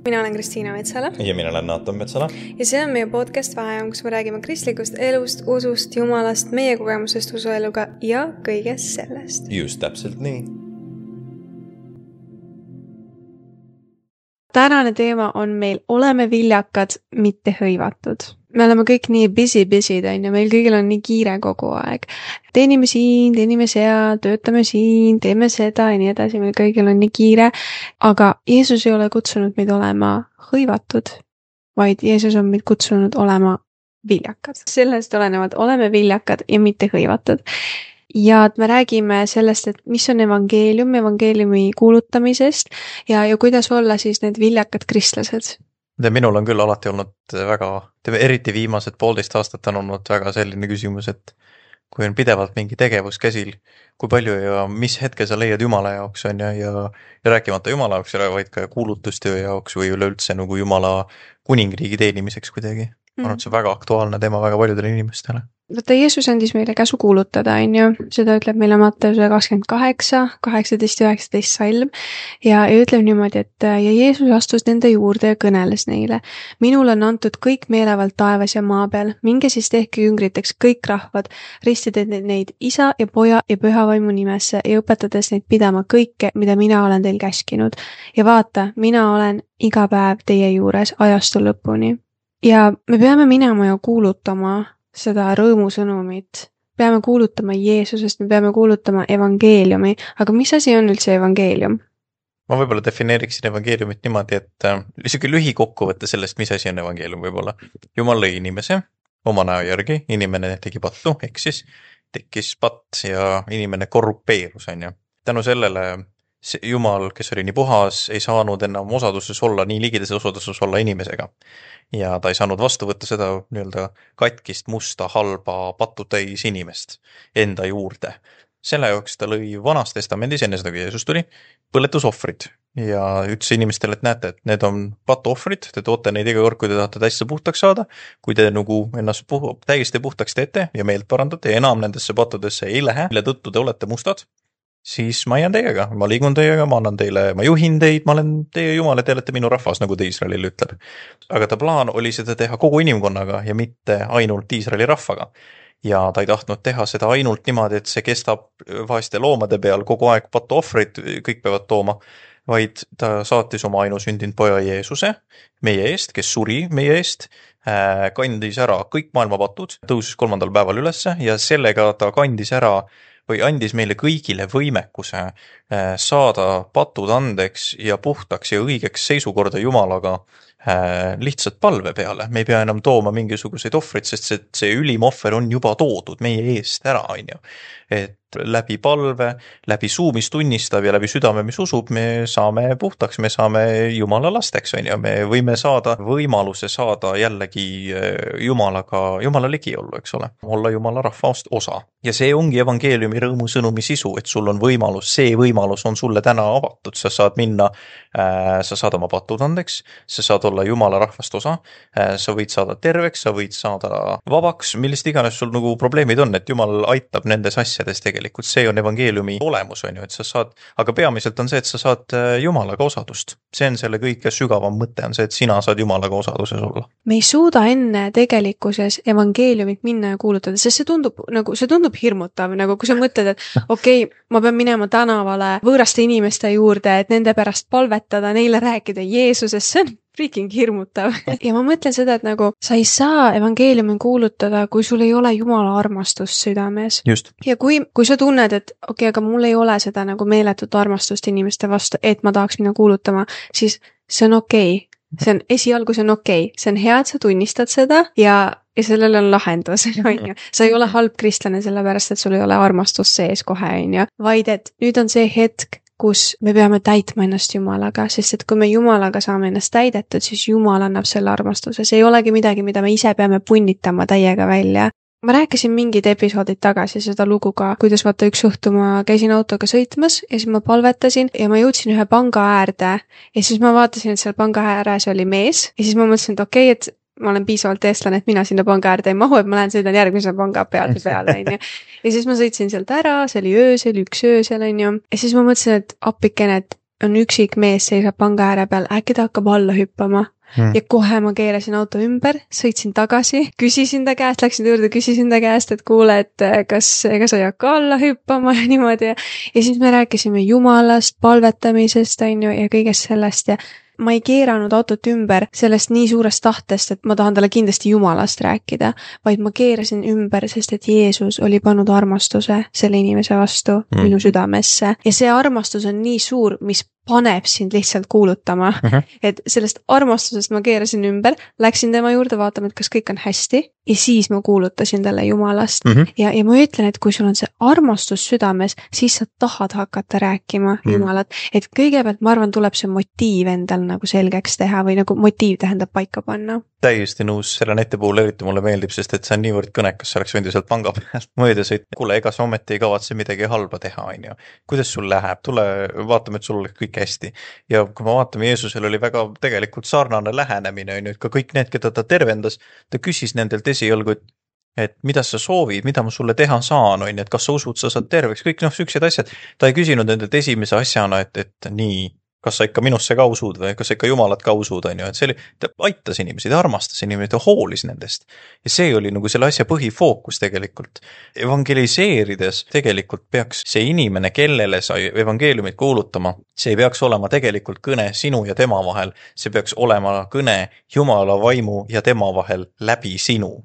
Mina olen Kristiina Metsala. Ja mina olen Naatan Metsala. Ja see on meie podcast Vaheajam, kus me räägime kristlikust elust, usust, jumalast, meie kogemusest usueluga ja kõigest sellest. Just täpselt nii. Tänane teema on meil oleme viljakad, mitte hõivatud. Me oleme kõik nii busy, ja meil kõigil on nii kiire kogu aeg. Teenime siin, teenime seal, töötame siin, teeme seda ja nii edasi, meil kõigil on nii kiire. Aga Jeesus ei ole kutsunud meid olema hõivatud, vaid Jeesus on meid kutsunud olema viljakad. Sellest olenevalt oleme viljakad ja mitte hõivatud. Ja me räägime sellest, et mis on evangeeliumi kuulutamisest ja kuidas olla siis need viljakad kristlased. Minul on küll alati olnud väga, eriti viimased 1,5 aastat on olnud väga selline küsimus, et kui on pidevalt mingi tegevus käsil, kui palju ja mis hetke sa leiad Jumala jaoks on ja rääkimata Jumala jaoks, vaid ka kuulutustöö jaoks või üleüldse nagu Jumala kuningriigi teenimiseks kuidagi. Ma arvan, et see on väga aktuaalne teema väga paljudele inimestele. Võtta Jeesus andis meile käsu kuulutada, seda ütleb meile Matteuse 28, 18 ja 19 salm ja ütleb niimoodi, et ja Jeesus astus nende juurde ja kõneles neile. Minul on antud kõik meelevald taevas ja maa peal, minge siis tehke jüngriteks kõik rahvad, ristide neid isa ja poja ja pühavaimu nimesse ja õpetades neid pidama kõike, mida mina olen teil käskinud. Ja vaata, mina olen iga päev teie juures ajastu lõpuni. Ja me peame minema ja kuulutama seda rõõmusõnumit. Peame kuulutama Jeesusest, me peame kuulutama evangeeliumi. Aga mis asi on üldse evangeelium? Ma võib-olla defineeriksin evangeeliumit niimoodi, et isegi lühikokkuvõte sellest, mis asi on evangeelium võib-olla. Jumal lõi inimese oma näo järgi, inimene tegi pattu, eksis, tekkis patt ja inimene korrupeerus. Tänu sellele Jumal, kes oli nii puhas, ei saanud enam osaduses olla, nii ligides osaduses olla inimesega. Ja ta ei saanud vastu võtta seda nii-öelda katkist, musta, halba, patutäis inimest enda juurde. Selle jaoks ta lõi vanas testamendis, enne seda kui Jeesus tuli, põletusohvrid. Ja ütles inimestele, et näete, et need on patuohvrid, te toote neid iga kord, kui te tahate täiesti puhtaks saada, kui te nagu ennast täiesti puhtaks teete ja meelt parandate ja enam nendesse pattudesse ei lähe, mille tõttu te olete mustad, siis ma jään teiega, ma liigun teiega, ma annan teile, ma juhin teid, ma olen teie Jumal ja te olete minu rahvas, nagu ta Iisraelile ütleb. Aga ta plaan oli seda teha kogu inimkonnaga ja mitte ainult Iisraeli rahvaga. Ja ta ei tahtnud teha seda ainult niimoodi, et see kestab vaeste loomade peal kogu aeg patuohvrid, kõik peavad tooma, vaid ta saatis oma ainusündinud poja Jeesuse meie eest, kes suri meie eest, kandis ära kõik maailma patud, tõusis 3. päeval ülesse ja sellega ta kandis ära või andis meile kõigile võimekuse saada patud andeks ja puhtaks ja õigeks seisukorda Jumalaga lihtsalt palve peale. Me ei pea enam tooma mingisuguseid ohvreid, sest see ülim ohver on juba toodud meie eest ära. Et läbi palve, läbi suu, mis tunnistab ja läbi südame, mis usub, me saame puhtaks, me saame Jumala lasteks. Me võime saada võimaluse saada jällegi Jumala ligi olla, eks ole. Olla Jumala rahvast osa. Ja see ongi evangeeliumi rõõmusõnumi sisu, et sul on võimalus, see võimalus on sulle täna avatud. Sa saad minna, sa saad oma patud andeks, sa saad olla Jumala rahvast osa, sa võid saada terveks, sa võid saada vabaks, millist iganes sul nagu probleemid on, et Jumal aitab nendes asjades tegelikult. See on evangeeliumi olemus, et sa saad, aga peamiselt on see, et sa saad Jumalaga osadust. See on selle kõige sügavam mõte on see, et sina saad Jumalaga osaduses olla. Me ei suuda enne tegelikkuses evangeeliumit minna ja kuulutada, sest see tundub hirmutav, nagu kui sa mõtled, et okei, ma pean minema tänavale võõraste inimeste juurde, et nende pärast palvetada, neile rääkida Jeesusest, see on freaking hirmutav. Ja ma mõtlen seda, et nagu sa ei saa evangeeliumi kuulutada, kui sul ei ole Jumala armastust südames. Just. Ja kui sa tunned, et okei, aga mul ei ole seda nagu meeletut armastust inimeste vastu, et ma tahaks minna kuulutama, siis see on okei. See on esialgu, see on okei. See on hea, et sa tunnistad seda ja sellel on lahendus. Sa ei ole halb kristlane sellepärast, et sul ei ole armastust sees kohe, vaid et nüüd on see hetk, kus me peame täitma ennast Jumalaga, sest et kui me Jumalaga saame ennast täidetud, siis Jumal annab selle armastuse. See ei olegi midagi, mida me ise peame punnitama täiega välja. Ma rääkisin mingid episoodid tagasi seda lugu ka, kuidas vaata üks õhtu ma käisin autoga sõitmas ja siis ma palvetasin ja ma jõudsin ühe panga äärde ja siis ma vaatasin, et seal panga ääres oli mees ja siis ma mõtlesin, et okei, et ma olen piisavalt eestlane, et mina sinna panga äärde ei mahu, et ma lähen sõidan järgmise panga peale. Ja siis ma sõitsin sealt ära, see oli öösel, 1 öösel, ja siis ma mõtlesin, et appikene, et on üksik mees seisab panga ääre peal, äkki ta hakkab alla hüppama. Ja kohe ma keerasin auto ümber, sõitsin tagasi, küsisin ta käest, läksin juurde, küsisin ta käest, et kuule, et kas ega sa ei hakka alla hüppama ja niimoodi. Ja siis me rääkisime Jumalast, palvetamisest, ja kõigest sellest ja ma ei keeranud autot ümber sellest nii suurest tahtest, et ma tahan talle kindlasti Jumalast rääkida, vaid ma keerasin ümber, sest et Jeesus oli pannud armastuse selle inimese vastu minu südamesse. Ja see armastus on nii suur, mis paneb sind lihtsalt kuulutama. Et sellest armastusest ma keerasin ümber, läksin tema juurde vaatama, et kas kõik on hästi ja siis ma kuulutasin talle Jumalast. Ja ma ütlen, et kui sul on see armastus südames, siis sa tahad hakata rääkima Jumalat. Et kõigepealt, ma arvan, tuleb see motiiv endal nagu selgeks teha või nagu motiiv tähendab paika panna. Täiesti nõus, selle neti puhul eriti mulle meeldib, sest et see on niivõrd kõnekas, see oleks võinud sealt panga pealt mööda sõita. Kuule, ega sa ometi ei kavatse midagi halba teha, on ju. Kuidas sul läheb? Tule vaatame, et sul oleks kõik hästi. Ja kui ma vaatame, Jeesusel oli väga tegelikult sarnane lähenemine, on ju, et ka kõik need, keda ta tervendas, ta küsis nendelt esialgu, et mida sa soovid, mida ma sulle teha saan, on ju, et kas sa usud, sa saad terveks, kõik sellised asjad. Ta ei küsinud nendelt esimese asjana, et nii, kas sa ikka minusse ka usud või kas sa ikka Jumalat ka usud, on ju, et see oli, ta aitas inimesi, ta armastas inimesi, ta hoolis nendest. Ja see oli nagu selle asja põhifookus tegelikult. Evangeliseerides tegelikult peaks see inimene, kellele sa evangeeliumit kuulutama, see ei peaks olema tegelikult kõne sinu ja tema vahel, see peaks olema kõne Jumala vaimu ja tema vahel läbi sinu.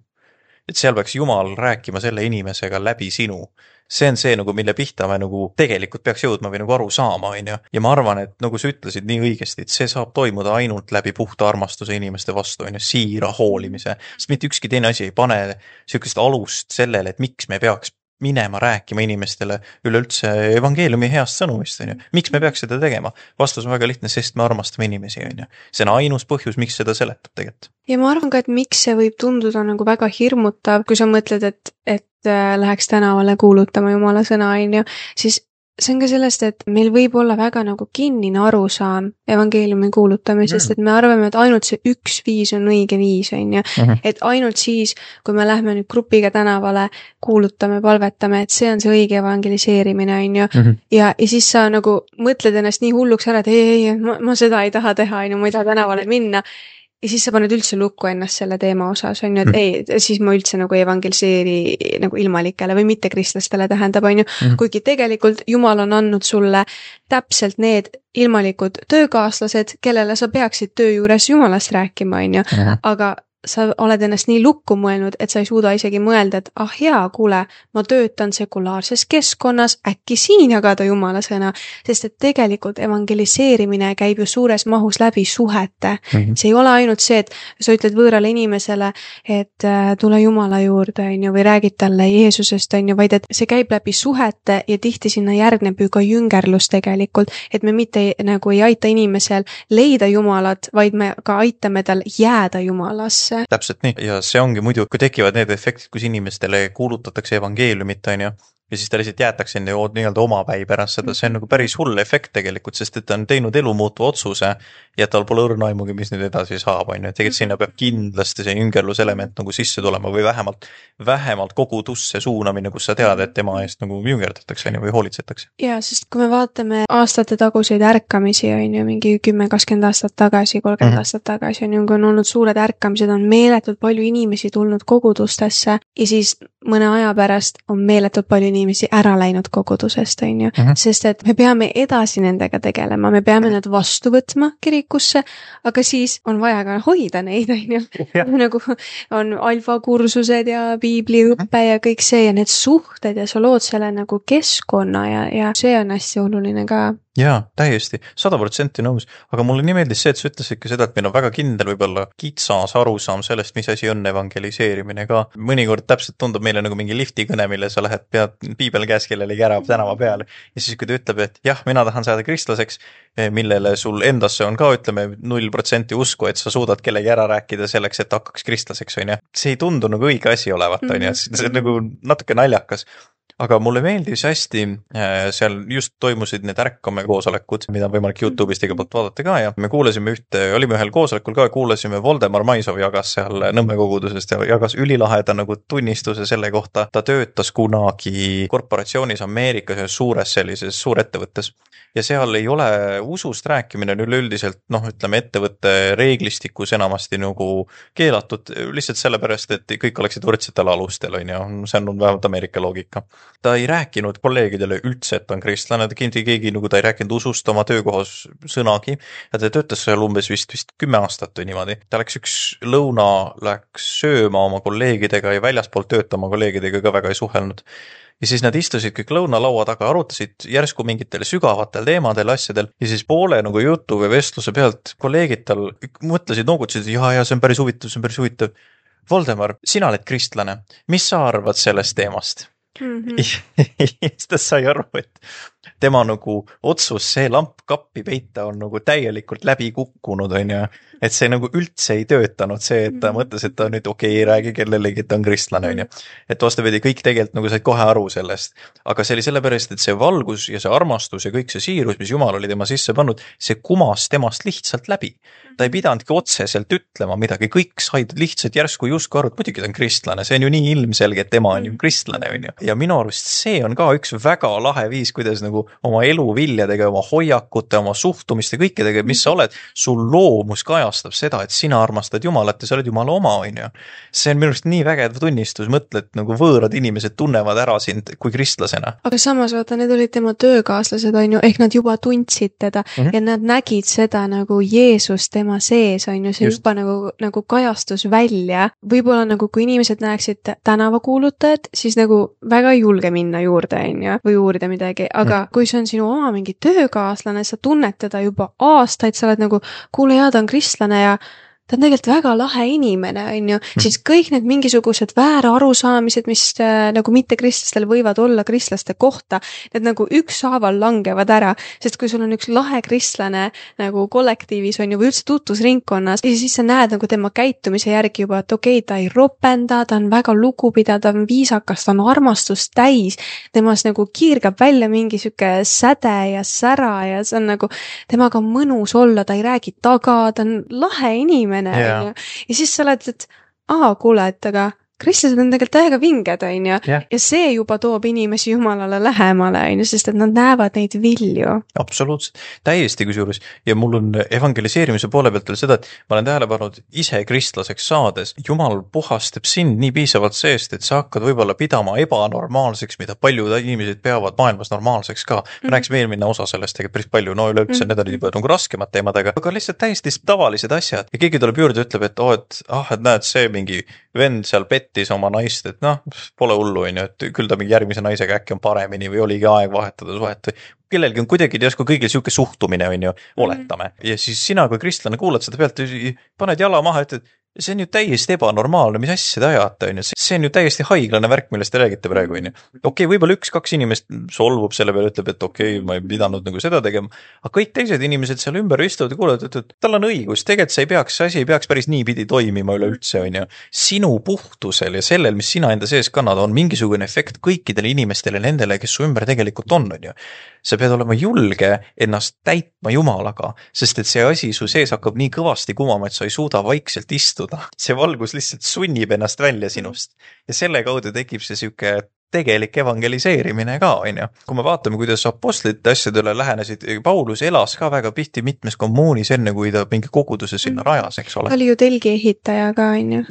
Et seal peaks Jumal rääkima selle inimesega läbi sinu. See on see, nagu, mille pihta me nagu tegelikult peaks jõudma või nagu aru saama, on ju. Ja ma arvan, et nagu sa ütlesid nii õigesti, et see saab toimuda ainult läbi puhta armastuse inimeste vastu, on ju, siira hoolimise. Sest mitte ükski teine asi ei pane sellist alust sellele, et miks me peaks minema rääkima inimestele üleüldse evangeeliumi heast sõnumist, on ju. Miks me peaks seda tegema? Vastus on väga lihtne, sest me armastame inimesi, on ju. See on ainus põhjus, miks seda seletab tegelikult. Ja ma arvan ka, et miks see võib tunduda nagu väga hirmutav, kui sa mõtled, et läheks tänavale kuulutama Jumala sõna, on ju, siis see on ka sellest, et meil võib olla väga nagu kinnine arusaam evangeeliumi kuulutamisest, et me arvame, et ainult see üks viis on õige viis, on ju. Et ainult siis, kui me lähme nüüd grupiga tänavale, kuulutame, palvetame, et see on see õige evangeliseerimine, on ju. Ja siis sa nagu mõtled ennast nii hulluks ära, et ei, ma seda ei taha teha, on ju, ma ei taha tänavale minna. Ja siis sa paned üldse lukku ennast selle teema osas, on ju, et ei, siis ma üldse nagu evangeliseeri nagu ilmalikele või mitte kristlastele tähendab, on ju, kuigi tegelikult Jumal on andnud sulle täpselt need ilmalikud töökaaslased, kellele sa peaksid töö juures Jumalast rääkima, on ju, aga sa oled ennast nii lukku mõelnud, et sa ei suuda isegi mõelda, et hea, kuule, ma töötan sekulaarses keskkonnas, äkki siin jagada Jumala sõna, sest et tegelikult evangeliseerimine käib ju suures mahus läbi suhete. See ei ole ainult see, et sa ütled võõrale inimesele, et tule Jumala juurde, on ju, või räägid talle Jeesusest, on ju, vaid et see käib läbi suhete ja tihti sinna järgneb ju ka jüngerlus tegelikult, et me mitte nagu ei aita inimesel leida Jumalat, vaid me ka aitame tal jääda Jumalasse. Täpselt nii. Ja see ongi muidu, kui tekivad need efektid, kus inimestele kuulutatakse evangeeliumit, on ju, ja siis ta lihtsalt jäetakse nii-öelda omapäi pärast seda, see on nagu päris hull efekt tegelikult, sest et ta on teinud elu muutuva otsuse ja tal pole õrna aimugi, mis nüüd edasi saab, on ju. Tegelikult sinna peab kindlasti see jüngerluselement nagu sisse tulema või vähemalt kogudusse suunamine, kus sa tead, et tema eest nagu jüngerdatakse või hoolitsetakse. Ja, sest kui me vaatame aastate taguseid ärkamisi, on ju, mingi 10-20 aastat tagasi, 30 aastat tagasi, on ju, kui on olnud suured ärkamised, on meeletult palju inimesi tulnud kogudustesse ja siis mõne aja pärast on meeletult palju inimesi ära läinud kogudusest, on ju, sest et me peame edasi nendega tegelema, me peame nad vastu võtma kirikusse, aga siis on vaja ka hoida neid, on ju. Nagu on alfakursused ja piibliõppe ja kõik see ja need suhted ja sa lood selle nagu keskkonna ja see on hästi oluline ka. Jaa, täiesti, 100% nõus, aga mulle nii meeldis see, et sa ütlesid ka seda, et meil on väga kindel võib-olla kitsas arusaam sellest, mis asi on evangeliseerimine ka. Mõnikord täpselt tundub meile nagu mingi liftikõne, mille sa lähed, pead piibel käes kellelegi ära tänava peale. Ja siis, kui ta ütleb, et jah, mina tahan saada kristlaseks, millele sul endasse on ka, ütleme, 0% usku, et sa suudad kellegi ära rääkida selleks, et hakkaks kristlaseks, on ju. See ei tundu nagu õige asi olevat, on ju, see on nagu natuke naljakas. aga mulle meeldis hästi, seal just toimusid need ärkame koosolekud, mida on võimalik YouTube'ist iga poolt vaadata ka ja me kuulasime olime ühel koosolekul ka, kuulasime Voldemar Maisov jagas seal Nõmme kogudusest ja jagas ülilaheda nagu tunnistuse selle kohta. Ta töötas kunagi korporatsioonis Ameerikas ja suures sellises suurettevõttes ja seal ei ole usust rääkimine üleüldiselt, ütleme ettevõtte reeglistikus enamasti nagu keelatud lihtsalt sellepärast, et kõik oleksid võrdsetel alustel, on ju, see on vähemalt Ameerika loogika. Ta ei rääkinud kolleegidele üldse, et ta on kristlane, keegi nagu ta ei rääkinud usust oma töökohas sõnagi ja ta töötas seal umbes vist 10 aastat või niimoodi. Ta läks läks sööma oma kolleegidega ja väljaspoolt töötama kolleegidega ka väga ei suhelnud. Ja siis nad istusid kõik lõunalaua taga, arutasid järsku mingitel sügavatel teemadel, asjadel ja siis poole nagu jutu või vestluse pealt kolleegid tal mõtlesid, noogutasid, ja see on päris huvitav. Voldemar, sina oled kristlane, mis sa arvad sellest teemast? Siis ta sai aru, et tema nagu otsus see lamp kappi peita on nagu täielikult läbi kukkunud, on ju. Et see nagu üldse ei töötanud see, et ta mõtles, et ta nüüd ei räägi kellelegi, et ta on kristlane, on ju. Et vastupidi, kõik tegelikult nagu said kohe aru sellest. Aga see oli sellepärast, et see valgus ja see armastus ja kõik see siirus, mis Jumal oli tema sisse pannud, see kumas temast lihtsalt läbi. Ta ei pidanudki otseselt ütlema midagi, kõik said lihtsalt järsku justkui aru, et muidugi ta on kristlane, see on ju nii ilmselge, et tema on ju kristlane, on ju. Ja minu arust see on ka üks väga lahe viis, kuidas nagu oma elu viljadega, oma hoiakute, oma suhtumiste, kõikidega, mis sa oled, sul loomus kajastab seda, et sina armastad Jumalat ja sa oled Jumala oma, on ju. See on minu arust nii vägev tunnistus, mõtle, et nagu võõrad inimesed tunnevad ära sind kui kristlasena. Aga samas vaata, need olid tema töökaaslased, on ju, ehk nad juba tundsid teda ja nad nägid seda nagu Jeesus tema sees, on ju, see just. Juba nagu kajastus välja. Võib-olla nagu kui inimesed näeksid tänavakuulutajad, siis nagu väga ei julge minna juurde, on ju, või uurida midagi, aga kui see on sinu oma mingi töökaaslane, sa tunned teda juba aastaid, sa oled nagu, kuule ja ta on kristlane ja ta on tegelikult väga lahe inimene, on ju, siis kõik need mingisugused väära arusaamised, mis nagu mitte kristlastel võivad olla kristlaste kohta, need nagu ükshaaval langevad ära, sest kui sul on üks lahe kristlane nagu kollektiivis on ju või üldse tutvusringkonnas ja siis sa näed nagu tema käitumise järgi juba, et ta ei ropenda, ta on väga lugupidav, ta on viisakas, ta on armastust täis, temas nagu kiirgab välja mingi süke säde ja sära ja see on nagu, temaga on mõnus olla, ta ei räägi taga, ta on lahe inimene. Ja siis sa oled, et kuule, et aga kristlased on tegelikult täiega vinged, on ju, ja see juba toob inimesi Jumalale lähemale, on ju, sest et nad näevad neid vilju. Absoluutselt, täiesti kusjuures ja mul on evangeliseerimise poole pealt veel seda, et ma olen tähele pannud ise kristlaseks saades, Jumal puhastab sind nii piisavalt seest, et sa hakkad võib-olla pidama ebanormaalseks, mida paljud inimesed peavad maailmas normaalseks ka. Me rääksime eelmine osa sellest tegelikult päris palju, üleüldse need olid juba nagu raskemad teemadega, aga lihtsalt täiesti tavalised asjad ja keegi tuleb juurde ja ütleb, et et näed, see mingi vend seal pettis oma naist, et pole hullu, on ju, et küll ta mingi järgmise naisega äkki on paremini või oligi aeg vahetada suhet või kellelgi on kuidagi järsku kõigil siuke suhtumine, on ju, oletame. Ja siis sina kui kristlane kuulad seda pealt, paned jala maha, et see on ju täiesti ebanormaalne, mis asja te ajate, on ju. See on ju täiesti haiglane värk, millest te räägite praegu, on ju. Võib-olla 1-2 inimest solvub selle peale, ütleb, et ma ei pidanud nagu seda tegema, aga kõik teised inimesed seal ümber istuvad ja kuulevad, et tal on õigus, tegelikult see asi ei peaks päris niipidi toimima üleüldse, on ju. Sinu puhtusel ja sellel, mis sina enda sees kannad, on mingisugune efekt kõikidele inimestele, nendele, kes su ümber tegelikult on ju. Sa pead olema julge ennast täitma Jumalaga, sest et see asi su sees hakkab nii kõvasti kumama, et sa ei suuda vaikselt istuda. See valgus lihtsalt sunnib ennast välja sinust ja selle kaudu tekib see siuke tegelik evangeliseerimine ka, on ju. Kui me vaatame, kuidas apostlite asjadele lähenesid, Paulus elas ka väga pihti mitmes kommuunis enne, kui ta mingi koguduse sinna rajas, eks ole. Ta oli ju telgi ehitaja ka, on ju.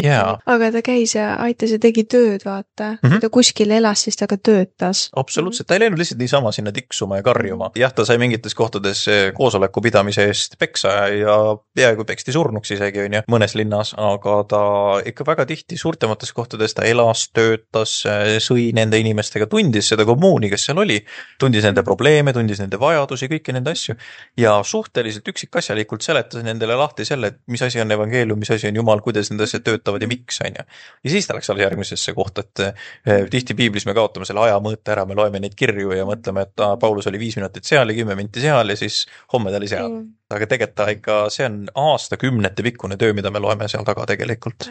Aga ta käis ja aitas ja tegi tööd, vaata. Kui ta kuskil elas, siis ta ka töötas. Absoluutselt, ta ei läinud lihtsalt niisama sinna tiksuma ja karjuma. Jah, ta sai mingites kohtades koosoleku pidamise eest peksa ja peaaegu peksti surnuks isegi, on ju, mõnes linnas, aga ta ikka väga tihti suurtemates kohtades ta elas, töötas, sõi nende inimestega, tundis seda kommuuni, kes seal oli, tundis nende probleeme, tundis nende vajadusi, kõiki nende asju ja suhteliselt üksikasjalikult seletas nendele lahti selle, et mis asi on evangeelium, mis asi on Jumal, kuidas need asjad töötavad ja miks, on ju. Ja siis ta läks alles järgmisesse kohta, et tihti piiblis me kaotame selle aja mõõte ära, me loeme neid kirju ja mõtleme, et Paulus oli 5 minutit seal ja 10 minti seal ja siis homme ta oli seal. aga tegelikult ikka see on aastakümnete pikkune töö, mida me loeme seal taga tegelikult.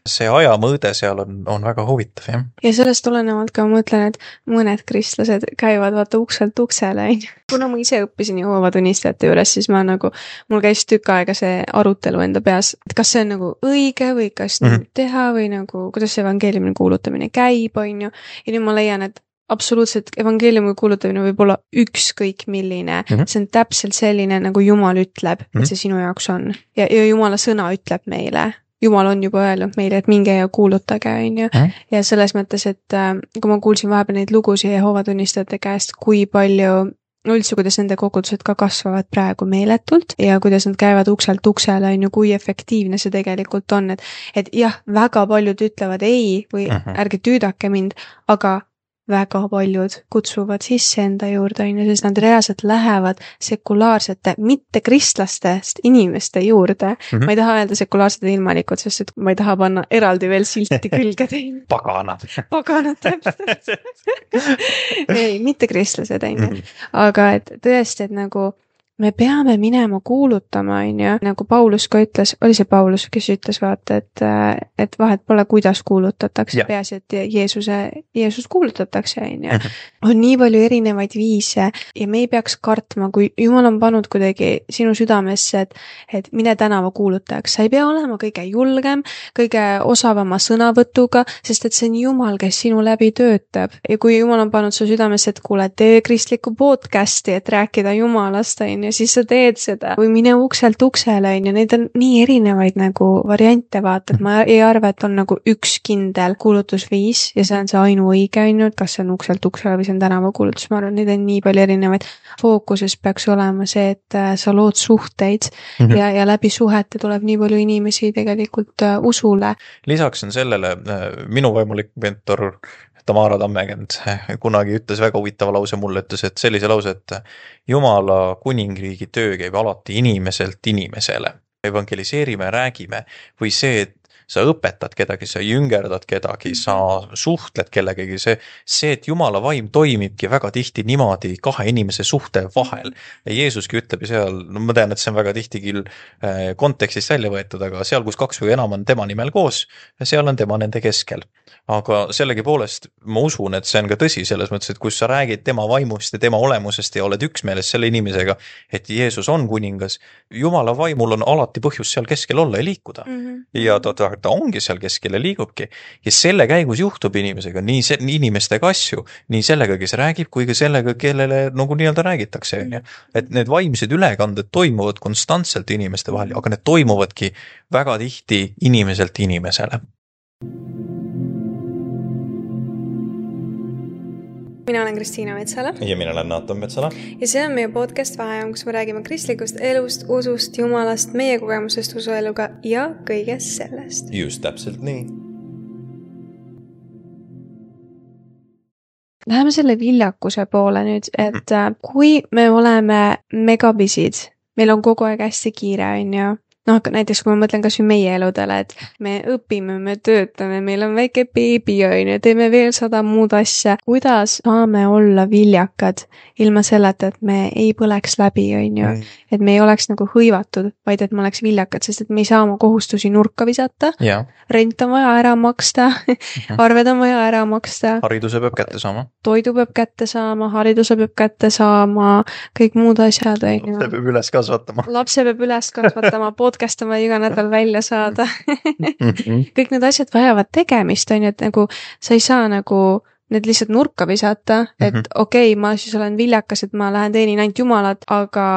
See ajamõõde seal on väga huvitav, jah. Ja sellest tulenevalt ka ma mõtlen, et mõned kristlased käivad vaata ukselt uksele. Kuna ma ise õppisin Jehoova tunnistajate juures, siis mul käis tükk aega see arutelu enda peas, et kas see on nagu õige või kas teha või nagu, kuidas see evangeeliumi kuulutamine käib, on ju. Ja nüüd ma leian, et absoluutselt evangeeliumi kuulutamine võib olla ükskõik milline. See on täpselt selline, nagu Jumal ütleb, et see sinu jaoks on. Ja Jumala sõna ütleb meile. Jumal on juba öelnud meile, et minge ja kuulutage, on ju. Ja selles mõttes, et kui ma kuulsin vahepeal neid lugusid Jehoova tunnistajate käest, kui palju üldse, kuidas nende kogudused ka kasvavad praegu meeletult ja kuidas nad käivad ukselt uksele, on ju, kui efektiivne see tegelikult on, et jah, väga paljud ütlevad ei või ärge tüüdake mind, aga väga paljud kutsuvad sisse enda juurde, sest nad reaalselt lähevad sekulaarsete, mitte kristlastest inimeste juurde. Ma ei taha öelda sekulaarsete ilmalikud, sest et ma ei taha panna eraldi veel silti külge teine. Paganad. Paganad, täpselt. Ei, mitte kristlased, on ju. Aga et tõesti, et nagu me peame minema kuulutama, on ju, nagu Paulus ka ütles, oli see Paulus, kes ütles, vaata, et vahet pole, kuidas kuulutatakse, peaasi, et Jeesus kuulutatakse, on ju. On nii palju erinevaid viise ja me ei peaks kartma, kui Jumal on pannud kuidagi sinu südamesse, et mine tänava kuulutajaks. Sa ei pea olema kõige julgem, kõige osavama sõnavõtuga, sest et see on Jumal, kes sinu läbi töötab. Ja kui Jumal on pannud su südamesse, et kuule, tee kristlikku podcasti, et rääkida Jumalast, on ja siis sa teed seda või mine ukselt uksele, on ju, neid on nii erinevaid nagu variante, vaata, et ma ei arva, et on nagu üks kindel kuulutusviis ja see on see ainuõige, on ju, et kas see on ukselt uksele või see on tänavakuulutus, ma arvan, neid on nii palju erinevaid. Fookuses peaks olema see, et sa lood suhteid ja läbi suhete tuleb nii palju inimesi tegelikult usule. Lisaks on sellele minu vaimulik mentor Tamara Tammekend kunagi ütles väga huvitava lause mulle, ütles, et sellise lause, et Jumala kuningriigi töö käib alati inimeselt inimesele. Evangeliseerime, räägime või see, et sa õpetad kedagi, sa jüngerdad kedagi, sa suhtled kellegagi, see, et Jumala vaim toimibki väga tihti niimoodi kahe inimese suhte vahel. Ja Jeesuski ütleb ju seal, no ma tean, et see on väga tihti küll kontekstist välja võetud, aga seal, kus kaks või enam on tema nimel koos, seal on tema nende keskel. Aga sellegi poolest ma usun, et see on ka tõsi selles mõttes, et kus sa räägid tema vaimust ja tema olemusest ja oled üksmeeles selle inimesega, et Jeesus on kuningas, Jumala vaimul on alati põhjus seal keskel olla ja liikuda. Ja ta ongi seal keskel ja liigubki. Ja selle käigus juhtub inimesega, nii inimestega asju, nii sellega, kes räägib, kui ka sellega, kellele nagu nii-öelda räägitakse. Et need vaimsed ülekanded toimuvad konstantselt inimeste vahel, aga need toimuvadki väga tihti inimeselt inimesele. Mina olen Kristiina Metsala. Ja mina olen Naatan Metsala. Ja see on meie podcast Vaheajam, kus me räägime kristlikust elust, usust, Jumalast, meie kogemusest usueluga ja kõigest sellest. Just täpselt nii. Läheme selle viljakuse poole nüüd, et kui me oleme megabisid, meil on kogu aeg hästi kiire, on ju. Noh, näiteks kui ma mõtlen kas või meie eludele, et me õpime, me töötame, meil on väike beebi, teeme veel 100 muud asja. Kuidas saame olla viljakad ilma selleta, et me ei põleks läbi, on ju? Et me ei oleks nagu hõivatud, vaid et me oleks viljakad, sest et me ei saa oma kohustusi nurka visata. Rent on vaja ära maksta, arved on vaja ära maksta. Hariduse peab kätte saama. Toidu peab kätte saama, hariduse peab kätte saama, kõik muud asjad, on ju. Lapse peab üles kasvatama. Lapse peab üles kasvatama, podcast on vaja iga nädal välja saada. Kõik need asjad vajavad tegemist, on ju, et nagu sa ei saa nagu need lihtsalt nurka visata, et okei, ma siis olen viljakas, et ma lähen teenin ainult Jumalat, aga